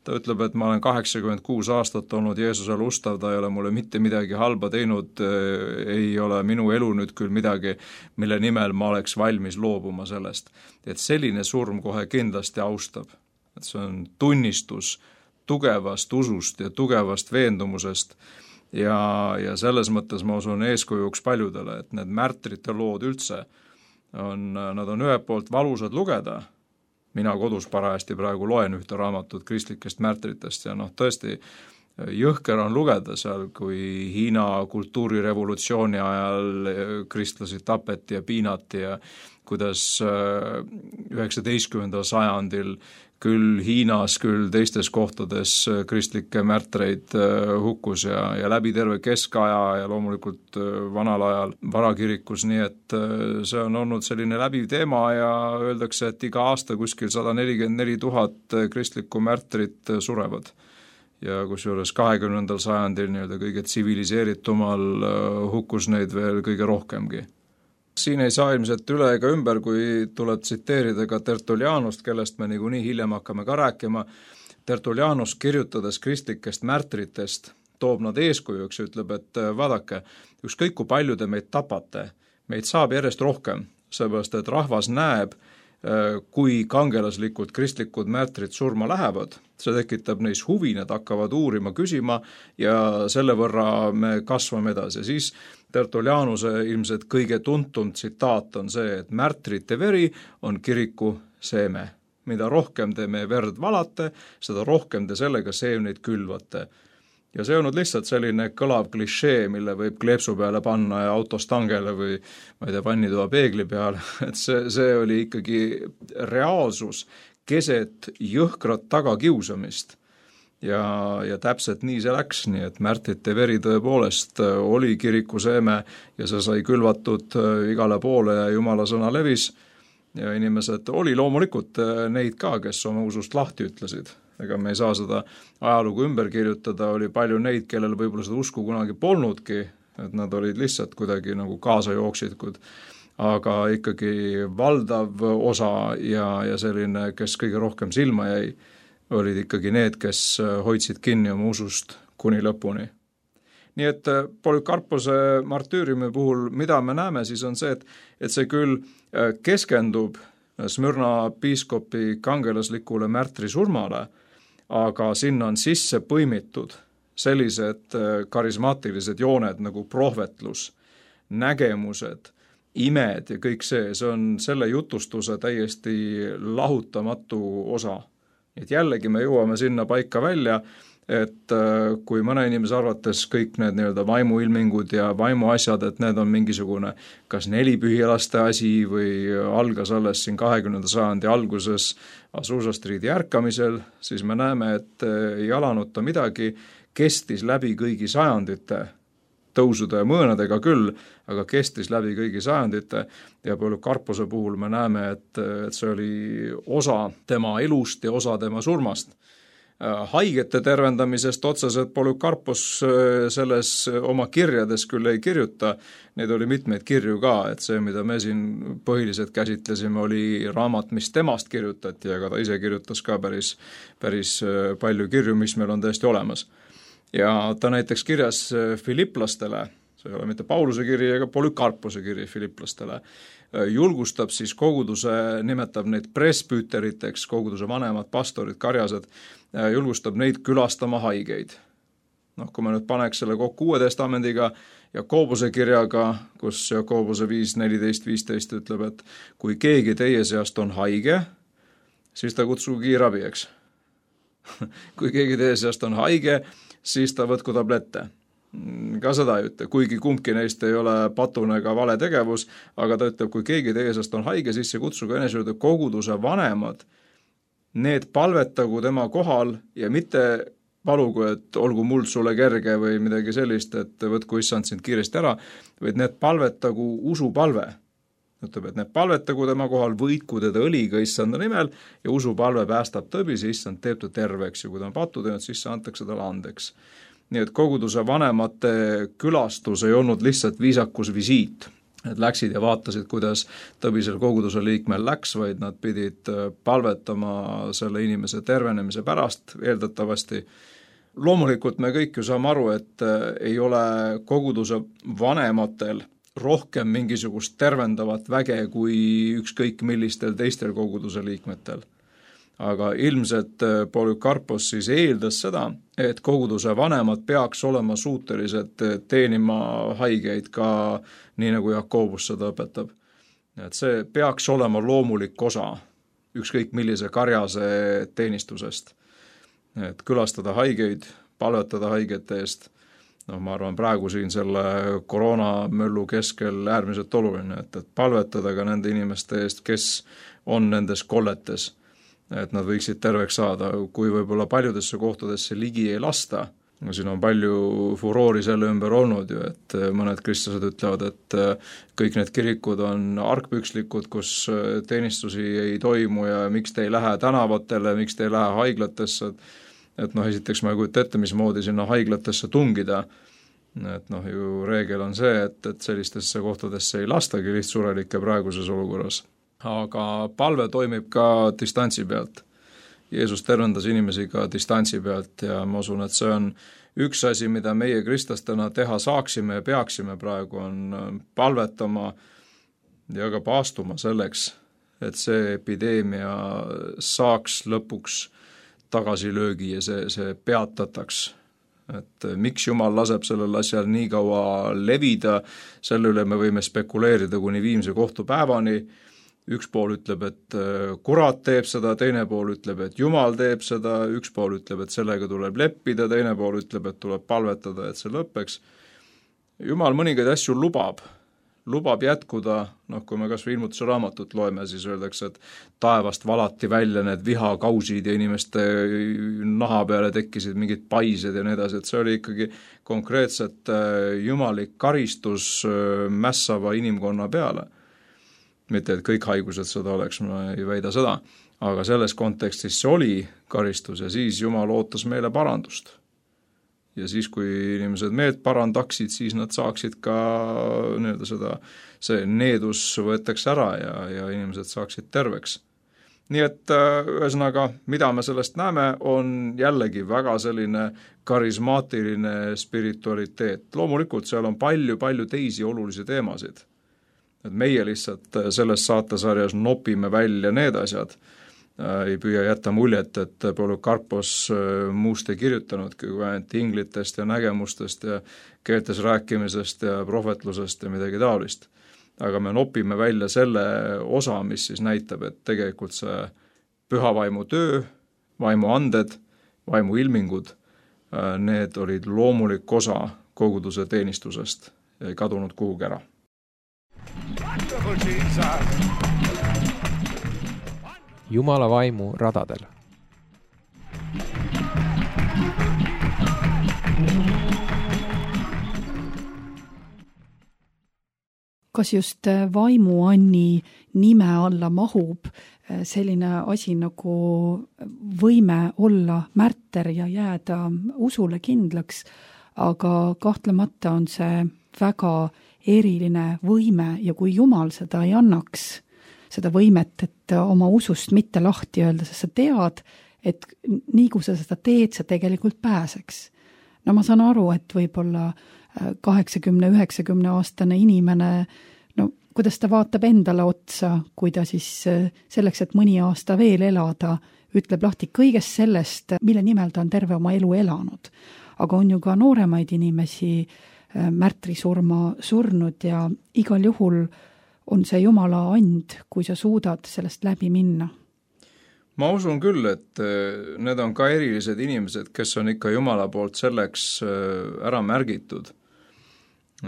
Ta ütleb, et ma olen 86 aastat olnud Jeesusele ustav, ta ei ole mulle mitte midagi halba teinud, ei ole minu elu nüüd küll midagi, mille nimel ma oleks valmis loobuma sellest. Et selline surm kohe kindlasti austab. Et see on tunnistus tugevast usust ja tugevast veendumusest ja selles mõttes ma usun eeskujuks paljudele, et need märtrite lood üldse nad on ühelt poolt valusad lugeda. Mina kodus parajasti praegu loen ühte raamatut kristlikest märtritest ja tõesti jõhker on lugeda seal, kui Hiina kultuurirevolutsiooni ajal kristlasi tapeti ja piinati ja kuidas 19. sajandil küll Hiinas, küll teistes kohtades kristlikke märtreid hukkus ja läbi terve keskaja ja loomulikult vanal ajal varakirikus, nii et see on olnud selline läbiv teema ja öeldakse, et iga aasta kuskil 144 000 kristlikku märtrit surevad. Ja kusjuures 20. sajandil nii-öelda kõige tsiviliseeritumal hukkus neid veel kõige rohkemgi. Siin ei saa ilmselt üle ega ümber, kui tuleb tsiteerida ka Tertullianust, kellest me niikuinii hiljem hakkame ka rääkima. Tertullianus kirjutades kristlikest märtritest toob nad eeskujuks ja ütleb, et vaadake, ükskõik kui palju te meid tapate, meid saab järjest rohkem, seepärast et rahvas näeb, kui kangelaslikud kristlikud märtrid surma lähevad, see tekitab neis huvi, nad hakkavad uurima, küsima ja selle võrra me kasvame edasi. Siis Tertullianuse ilmselt kõige tuntum tsitaat on see, et märtrite veri on kiriku seeme. Mida rohkem te meie verd valate, seda rohkem te sellega seemneid külvate. Ja see on lihtsalt selline kõlav klišee, mille võib kleepsu peale panna ja autostangele või vannitoa peegli peale. Et see oli ikkagi reaalsus keset jõhkrat tagakiusamist. ja täpselt nii see läks, nii et märtrite veri tõepoolest oli kiriku seeme ja see sai külvatud igale poole ja Jumala sõna levis ja inimesed oli loomulikult neid ka, kes oma usust lahti ütlesid. Ega me ei saa seda ajalugu ümber kirjutada, oli palju neid, kellel võib-olla seda usku kunagi polnudki, et nad olid lihtsalt kuidagi nagu kaasajooksikud, aga ikkagi valdav osa ja selline, kes kõige rohkem silma jäi, olid ikkagi need, kes hoidsid kinni oma usust kuni lõpuni. Nii et Polükarpose martüüriumi puhul, mida me näeme, siis on see, et see küll keskendub Smyrna piiskopi kangelaslikule märtri surmale, aga sinna on sisse põimitud sellised karismaatilised jooned nagu prohvetlus, nägemused, imed ja kõik see on selle jutustuse täiesti lahutamatu osa. Et jällegi me jõuame sinna paika välja, et kui mõne inimese arvates kõik need nii-öelda vaimuilmingud ja vaimuasjad, et need on mingisugune kas nelipühilaste asi või algas alles siin 20. sajandi alguses Azusa Streeti ärkamisel, siis me näeme, et ei alanud ta midagi, kestis läbi kõigi sajandite, tõusude ja mõõnadega küll, aga kestis läbi kõigi sajandite ja Polükarpose puhul me näeme, et see oli osa tema elust ja osa tema surmast. Haigete tervendamisest otseselt Polükarpos selles oma kirjades küll ei kirjuta, neid oli mitmeid kirju ka, et see, mida me siin põhiliselt käsitlesime, oli raamat, mis temast kirjutati, aga ta ise kirjutas ka päris palju kirju, mis meil on täiesti olemas. Ja ta näiteks kirjas Filipplastele, see ei ole mitte Pauluse kiri ega Polükarpose kiri Filipplastele, julgustab siis koguduse, nimetab neid presbüüteriteks, koguduse vanemad pastorid, karjased, julgustab neid külastama haigeid. Kui me nüüd paneks selle kokku Uue Testamendiga Jakobuse kirjaga, kus Jakobuse 5.14.15 ütleb, et kui keegi teie seast on haige, siis ta kutsugu kiirabi, eks. Kui keegi teie seast on haige, siis ta võtku tablette. Ka seda ei ütle, kuigi kumbki neist ei ole patune ega vale tegevus, aga ta ütleb, kui keegi teie seast on haige, siis see kutsugu enese juurde koguduse vanemad, need palvetagu tema kohal ja mitte palugu, et olgu muld sulle kerge või midagi sellist, et võtku issand sind kiiresti ära, vaid need palvetagu usupalve. Ütleb, et need palvetagu tema kohal, võitku teda õliga issanda nimel ja usupalve päästab tõbis ja issand teeb ta terveks ja kui ta on pattu teinud, siis antakse talle andeks. Nii et koguduse vanemate külastus ei olnud lihtsalt viisakus visiit, et läksid ja vaatasid, kuidas tõbisel koguduse liikmel läks, vaid nad pidid palvetama selle inimese tervenemise pärast eeldatavasti. Loomulikult me kõik ju saame aru, et ei ole koguduse vanematel rohkem mingisugust tervendavat väge kui ükskõik millistel teistel koguduse liikmetel. Aga ilmselt Polükarpos siis eeldas seda, et koguduse vanemad peaks olema suutelised teenima haigeid ka nii, nagu Jakobus seda õpetab. Et see peaks olema loomulik osa ükskõik millise karjase teenistusest. Et külastada haigeid, palvetada haigete eest, ma arvan praegu siin selle koroonamöllu keskel äärmiselt oluline, et palvetada ka nende inimeste eest, kes on nendes kolletes, et nad võiksid terveks saada, kui võib-olla paljudesse kohtadesse ligi ei lasta. Siin on palju furoori selle ümber olnud ju, et mõned kristlased ütlevad, et kõik need kirikud on argpükslikud, kus teenistusi ei toimu ja miks te ei lähe tänavatele, miks te ei lähe haiglatesse, et esiteks ma ei kujuta ette, mismoodi sinna haiglatesse tungida, et ju reegel on see, et sellistesse kohtadesse ei lastagi lihtsurelikke praeguses olukorras. Aga palve toimib ka distantsi pealt. Jeesus tervendas inimesi ka distantsi pealt ja ma usun, et see on üks asi, mida meie kristlastena teha saaksime ja peaksime praegu, on palvetama ja ka paastuma selleks, et see epideemia saaks lõpuks tagasilöögi ja see peatataks. Et miks Jumal laseb sellel asjal nii kaua levida, selle üle me võime spekuleerida kuni viimse kohtupäevani. Üks pool ütleb, et kurat teeb seda, teine pool ütleb, et Jumal teeb seda, üks pool ütleb, et sellega tuleb leppida, teine pool ütleb, et tuleb palvetada, et see lõppeks. Jumal mõningaid asju lubab, lubab jätkuda, kui me kas või ilmutuse raamatut loeme, siis öeldakse, et taevast valati välja need vihakausid ja inimeste naha peale tekkisid mingid paised ja nii edasi, et see oli ikkagi konkreetselt jumalik karistus mässava inimkonna peale. Mitte, et kõik haigused seda oleks, ma ei väida seda, aga selles kontekstis see oli karistus ja siis Jumal ootas meile parandust. Ja siis, kui inimesed meelt parandaksid, siis nad saaksid ka see needus võetakse ära ja inimesed saaksid terveks. Nii et ühesõnaga, mida me sellest näeme, on jällegi väga selline karismaatiline spiritualiteet. Loomulikult seal on palju teisi olulisi teemasid. Et meie lihtsalt selles saatesarjas nopime välja need asjad. Ei püüa jätta muljet, et Polükarpos muust ei kirjutanudki kui ainult inglitest ja nägemustest ja keeltes rääkimisest ja prohvetlusest ja midagi taolist. Aga me nopime välja selle osa, mis siis näitab, et tegelikult see pühavaimu töö, vaimu anded, vaimu ilmingud, need olid loomulik osa koguduse teenistusest ja ei kadunud kuhugi ära. Wonderful Jesus! Jumala vaimu radadel. Kas just vaimuanni nime alla mahub selline asi nagu võime olla märter ja jääda usule kindlaks, aga kahtlemata on see väga eriline võime ja kui Jumal seda ei annaks, seda võimet, et oma usust mitte lahti öelda, sest sa tead, et nii kui sa seda teed, sa tegelikult pääseks. No ma saan aru, et võib-olla 80-90 aastane inimene, no kuidas ta vaatab endale otsa, kui ta siis selleks, et mõni aasta veel elada, ütleb lahti kõigest sellest, mille nimel ta on terve oma elu elanud. Aga on ju ka nooremaid inimesi märtrisurma surnud ja igal juhul on see Jumala and, kui sa suudad sellest läbi minna? Ma usun küll, et need on ka erilised inimesed, kes on ikka Jumala poolt selleks ära märgitud.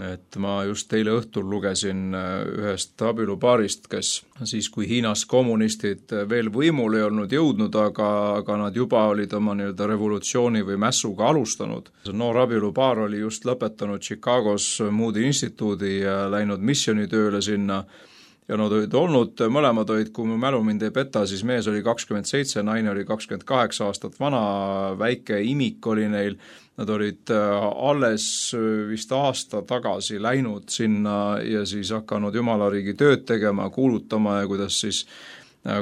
Et ma just eile õhtul lugesin ühest abielupaarist, kes siis, kui Hiinas kommunistid veel võimul ei olnud jõudnud, aga nad juba olid oma revolutsiooni või mässuga alustanud. See noor abielupaar oli just lõpetanud Chicagos Moody instituudi ja läinud missionitööle sinna ja nad olid olnud, mõlemad olid, kui mu mälu mind ei peta, siis mees oli 27, naine oli 28 aastat vana, väike imik oli neil. Nad olid alles vist aasta tagasi läinud sinna ja siis hakanud Jumalariigi tööd tegema, kuulutama ja kuidas siis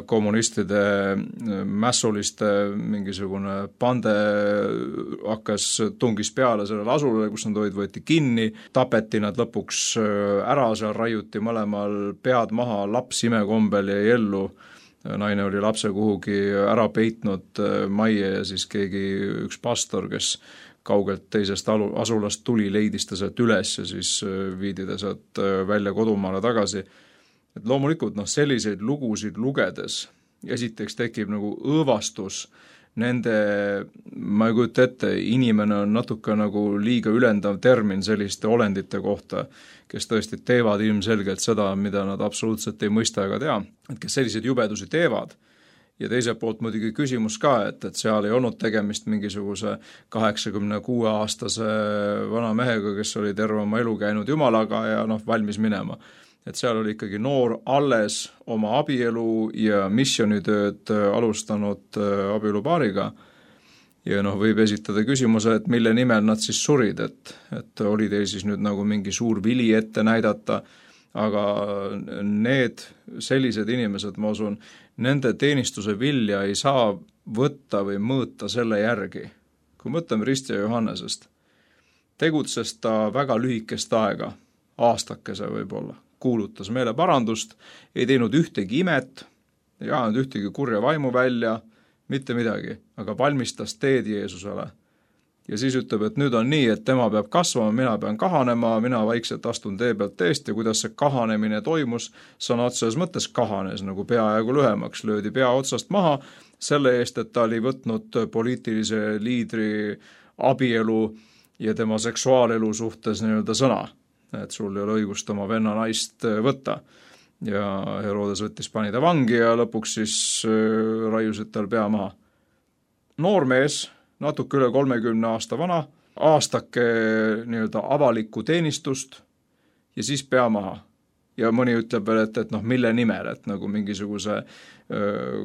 kommunistide mässuliste mingisugune pande tungis peale sellele asulale, kus nad olid, võeti kinni, tapeti nad lõpuks ära, seal raiuti mõlemal pead maha, laps imekombel jäi ellu. Naine oli lapse kuhugi ära peitnud majja ja siis üks pastor, kes kaugelt teisest asulast tuli, leidis ta sealt üles ja siis viidi ta sealt välja kodumaale tagasi. Et loomulikult selliseid lugusid lugedes esiteks tekib nagu õõvastus nende, ma ei kujuta ette, inimene on natuke nagu liiga ülendav termin selliste olendite kohta, kes tõesti teevad ilmselgelt seda, mida nad absoluutselt ei mõista ega tea, et kes selliseid jubedusi teevad. Ja teiselt poolt muidugi küsimus ka, et seal ei olnud tegemist mingisuguse 86-aastase vana mehega, kes oli terve oma elu käinud Jumalaga ja valmis minema. Et seal oli ikkagi noor alles oma abielu ja missionitööd alustanud abielupaariga. Ja võib esitada küsimuse, et mille nimel nad siis surid, et oli teil siis nüüd nagu mingi suur vili ette näidata, aga need sellised inimesed, ma usun, nende teenistuse vilja ei saa võtta või mõõta selle järgi. Kui mõtleme Ristja Johannesest, tegutses ta väga lühikest aega, aastakese võib-olla, kuulutas meile parandust, ei teinud ühtegi imet, ei ajanud ühtegi kurja vaimu välja, mitte midagi, aga valmistas teed Jeesusele. Ja siis ütleb, et nüüd on nii, et tema peab kasvama, mina pean kahanema, mina vaikselt astun tee pealt teest ja kuidas see kahanemine toimus, sõna otseses mõttes kahanes, nagu peaaegu lühemaks, löödi pea otsast maha selle eest, et ta oli võtnud poliitilise liidri abielu ja tema seksuaalelu suhtes sõna. et sul ei ole õigust oma venna naist võtta. Ja Herodes pani ta vangi ja lõpuks siis raiusid tal pea maha. Noor mees, natuke üle 30 aasta vana, aastake nii-öelda avalikku teenistust ja siis pea maha. Ja mõni ütleb veel, et mille nimel, et nagu mingisuguse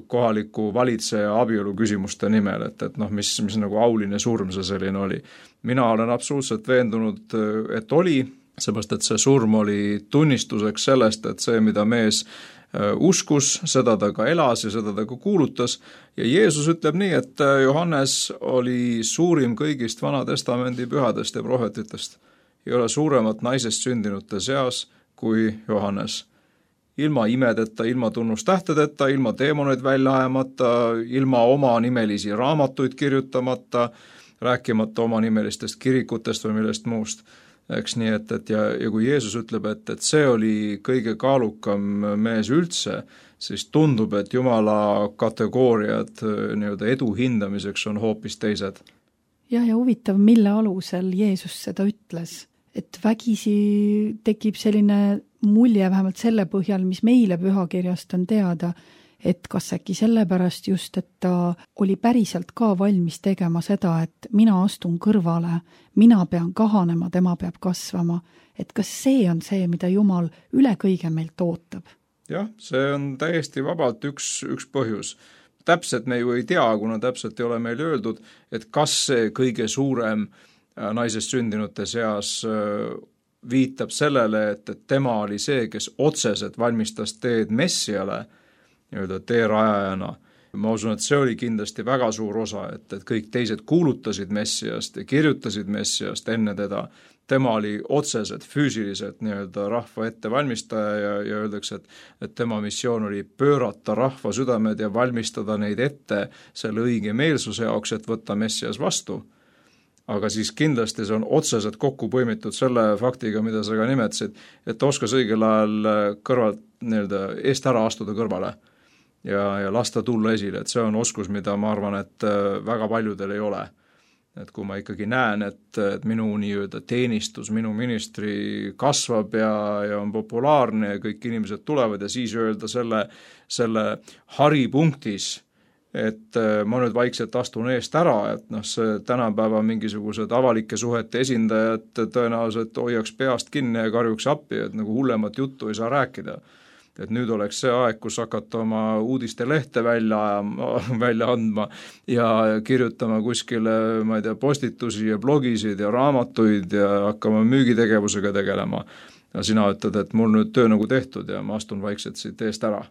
kohaliku valitseja abielu küsimuste nimel, et mis nagu auline surm see selline oli. Mina olen absoluutselt veendunud, et oli, seepärast, et see surm oli tunnistuseks sellest, et see, mida mees uskus, seda ta ka elas ja seda ta ka kuulutas. Ja Jeesus ütleb nii, et Johannes oli suurim kõigist Vana Testamendi pühadest ja prohvetitest. Ei ole suuremat naisest sündinute seas kui Johannes. Ilma imedeta, ilma tunnustähtedeta, ilma teemoneid välja ajamata, ilma oma nimelisi raamatuid kirjutamata, rääkimata oma nimelistest kirikutest või millest muust. Eks nii, ja kui Jeesus ütleb, et see oli kõige kaalukam mees üldse, siis tundub, et Jumala kategooriad nii-öelda edu hindamiseks on hoopis teised. Ja huvitav, mille alusel Jeesus seda ütles. Et vägisi tekib selline mulje vähemalt selle põhjal, mis meile pühakirjast on teada, et kas äkki sellepärast just, et ta oli päriselt ka valmis tegema seda, et mina astun kõrvale, mina pean kahanema, tema peab kasvama. Et kas see on see, mida Jumal üle kõige meilt ootab? Jah, see on täiesti vabalt üks põhjus. Täpselt me ju ei tea, kuna täpselt ei ole meil öeldud, et kas see kõige suurem naisest sündinute seas viitab sellele, et tema oli see, kes otseselt valmistas teed Messiale, nii-öelda teerajajana. Ma usun, et see oli kindlasti väga suur osa, et kõik teised kuulutasid Messiast ja kirjutasid Messiast enne teda. Tema oli otseselt, füüsiliselt nii-öelda rahva ette valmistaja ja öeldakse, et tema missioon oli pöörata rahva südamed ja valmistada neid ette selle õige meelsuse jaoks, et võtta Messias vastu. Aga siis kindlasti see on otseselt kokku põimitud selle faktiga, mida sa ka nimetasid, et oskas õigel ajal kõrvalt nii-öelda eest ära astuda kõrvale ja lasta tulla esile, et see on oskus, mida ma arvan, et väga paljudel ei ole. Et kui ma ikkagi näen, et minu nii-öelda teenistus, minu ministri kasvab ja on populaarne ja kõik inimesed tulevad ja siis öelda selle haripunktis, et ma nüüd vaikselt astun eest ära, et see tänapäeva mingisugused avalike suhete esindajad tõenäoliselt hoiaks peast kinni ja karjuks appi, et nagu hullemat juttu ei saa rääkida. Et nüüd oleks see aeg, kus hakata oma uudiste lehte välja andma ja kirjutama kuskile, ma ei tea, postitusi ja blogisid ja raamatuid ja hakkama müügitegevusega tegelema. Ja sina ütled, et mul nüüd töö nagu tehtud ja ma astun vaikselt siit eest ära.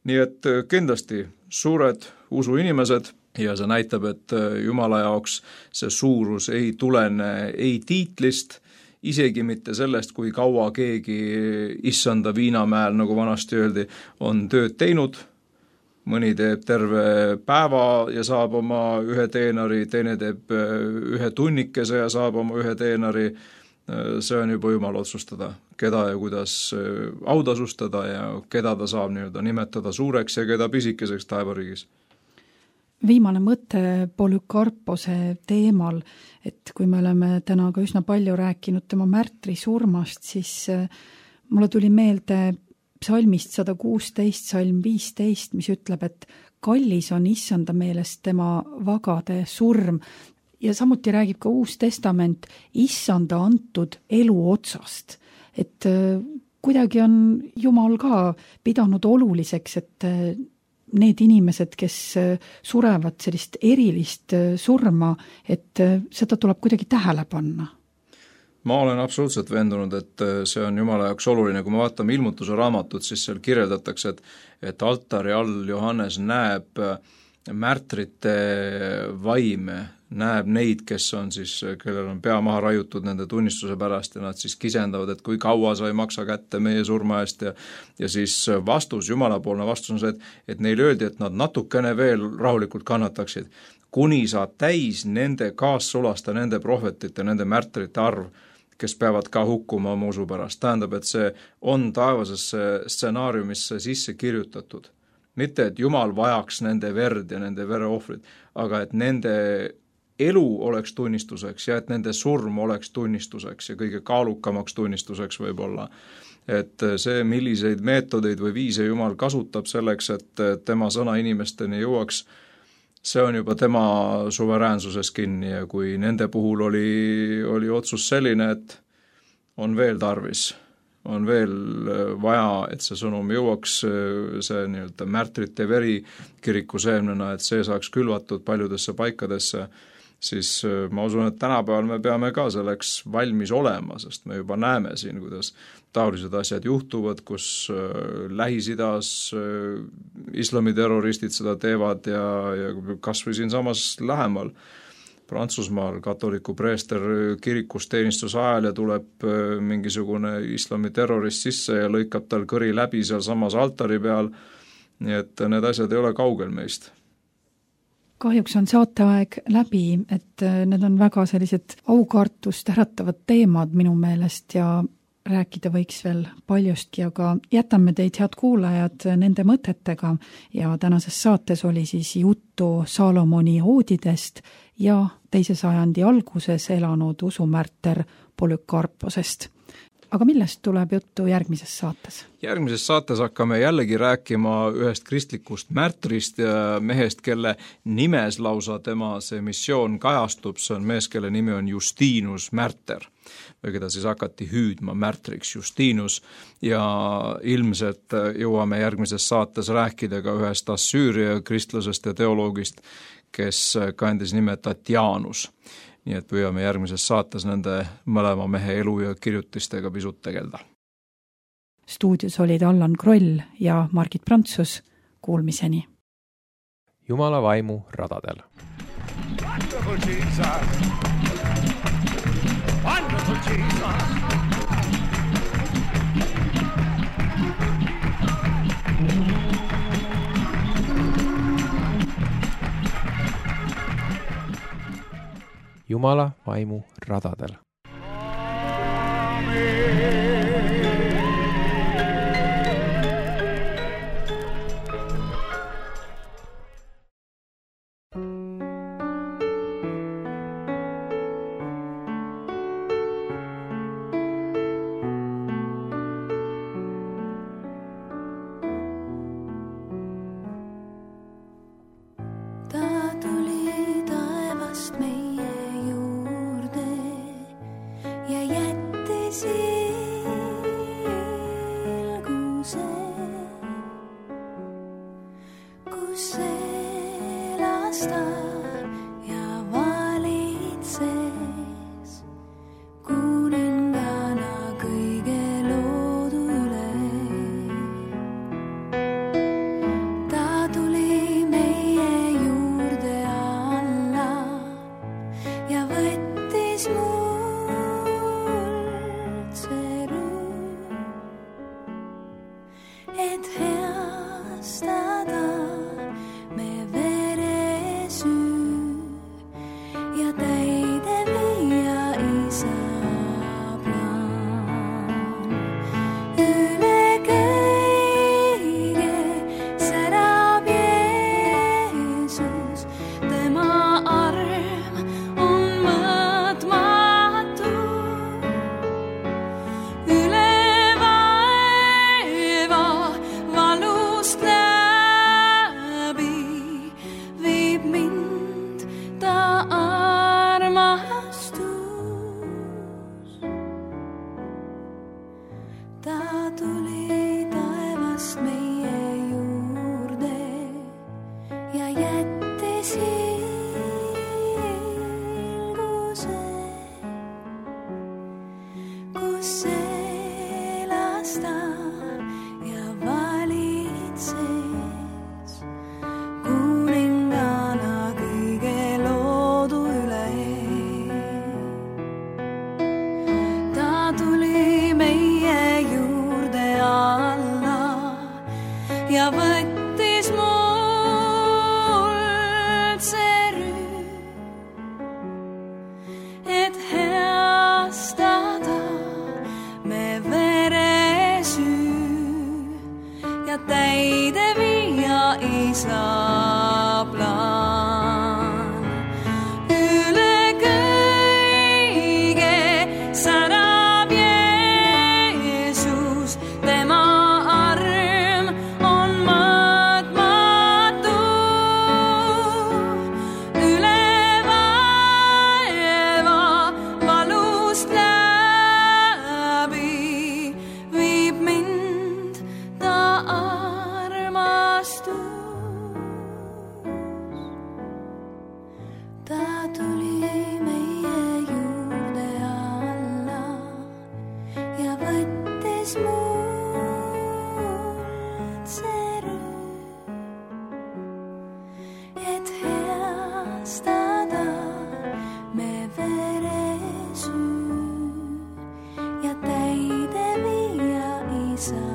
Nii et kindlasti suured usuinimesed ja see näitab, et Jumala jaoks see suurus ei tulene ei tiitlist, isegi mitte sellest, kui kaua keegi issanda viinamäel, nagu vanasti öeldi, on tööd teinud. Mõni teeb terve päeva ja saab oma 1 teenari, teine teeb 1 tunnikese ja saab oma 1 teenari. See on juba Jumala otsustada, keda ja kuidas autasustada ja keda ta saab nii-öelda nimetada suureks ja keda pisikeseks taevariigis. Viimane mõte Polükarpose teemal, et kui me oleme täna ka üsna palju rääkinud tema märtri surmast, siis mulle tuli meelde psalmist 116, salm 15, mis ütleb, et kallis on issanda meelest tema vagade surm. Ja samuti räägib ka Uus Testament issanda antud elu otsast. Et kuidagi on Jumal ka pidanud oluliseks, et need inimesed, kes surevad sellist erilist surma, et seda tuleb kuidagi tähele panna. Ma olen absoluutselt veendunud, et see on Jumala jaoks oluline. Kui me vaatame ilmutuse raamatut, siis seal kirjeldatakse, et altari all Johannes näeb märtrite vaime, näeb neid, kes on siis, kellel on pea maha raiutud nende tunnistuse pärast ja nad siis kisendavad, et kui kaua sa ei maksa kätte meie surma eest ja siis vastus, Jumalapoolne vastus on see, et neil öeldi, et nad natukene veel rahulikult kannataksid, kuni saab täis nende kaassulasta, nende prohvetite, nende märtrite arv, kes peavad ka hukkuma oma usu pärast. Tähendab, et see on taevasesse stsenaariumisse sisse kirjutatud. Mitte, et Jumal vajaks nende verd ja nende vereohvrid, aga et nende elu oleks tunnistuseks ja et nende surm oleks tunnistuseks ja kõige kaalukamaks tunnistuseks võib-olla. Et see, milliseid meetodeid või viise Jumal kasutab selleks, et tema sõna inimesteni jõuaks, see on juba tema suveräänsuses kinni ja kui nende puhul oli otsus selline, et on veel tarvis, on veel vaja, et see sõnum jõuaks, see nii-öelda märtrite veri kiriku seemnena, et see saaks külvatud paljudesse paikadesse, siis ma usun, et tänapäeval me peame ka selleks valmis olema, sest me juba näeme siin, kuidas taolised asjad juhtuvad, kus Lähis-Idas islamiterroristid seda teevad ja kas või siin samas lähemal Prantsusmaal katoliku preester kirikus teenistuse ajal ja tuleb mingisugune islamiterrorist sisse ja lõikab tal kõri läbi seal samas altari peal, nii et need asjad ei ole kaugel meist. Kahjuks on saateaeg läbi, et need on väga sellised aukartust äratavad teemad minu meelest ja rääkida võiks veel paljustki, aga jätame teid, head kuulajad, nende mõtetega ja tänases saates oli siis juttu Salomoni oodidest ja 2. sajandi alguses elanud usumärter Polükarposest. Aga millest tuleb juttu järgmises saates? Järgmises saates hakkame jällegi rääkima ühest kristlikust märtrist ja mehest, kelle nimes lausa tema see missioon kajastub, see on mees, kelle nimi on Justinus Märter, või keda siis hakati hüüdma märtriks Justinus ja ilmselt jõuame järgmises saates rääkida ka ühest Assüüria kristlasest ja teoloogist, kes kandis nime Tatianus. Nii et püüame järgmises saates nende mõlema mehe elu ja kirjutistega pisut tegelda. Stuudios olid Allan Kroll ja Margit Prantsus. Kuulmiseni. Jumala vaimu radadel. Wonderful Jesus! Wonderful Jesus! Jumala vaimu radadel. Ja jättis sa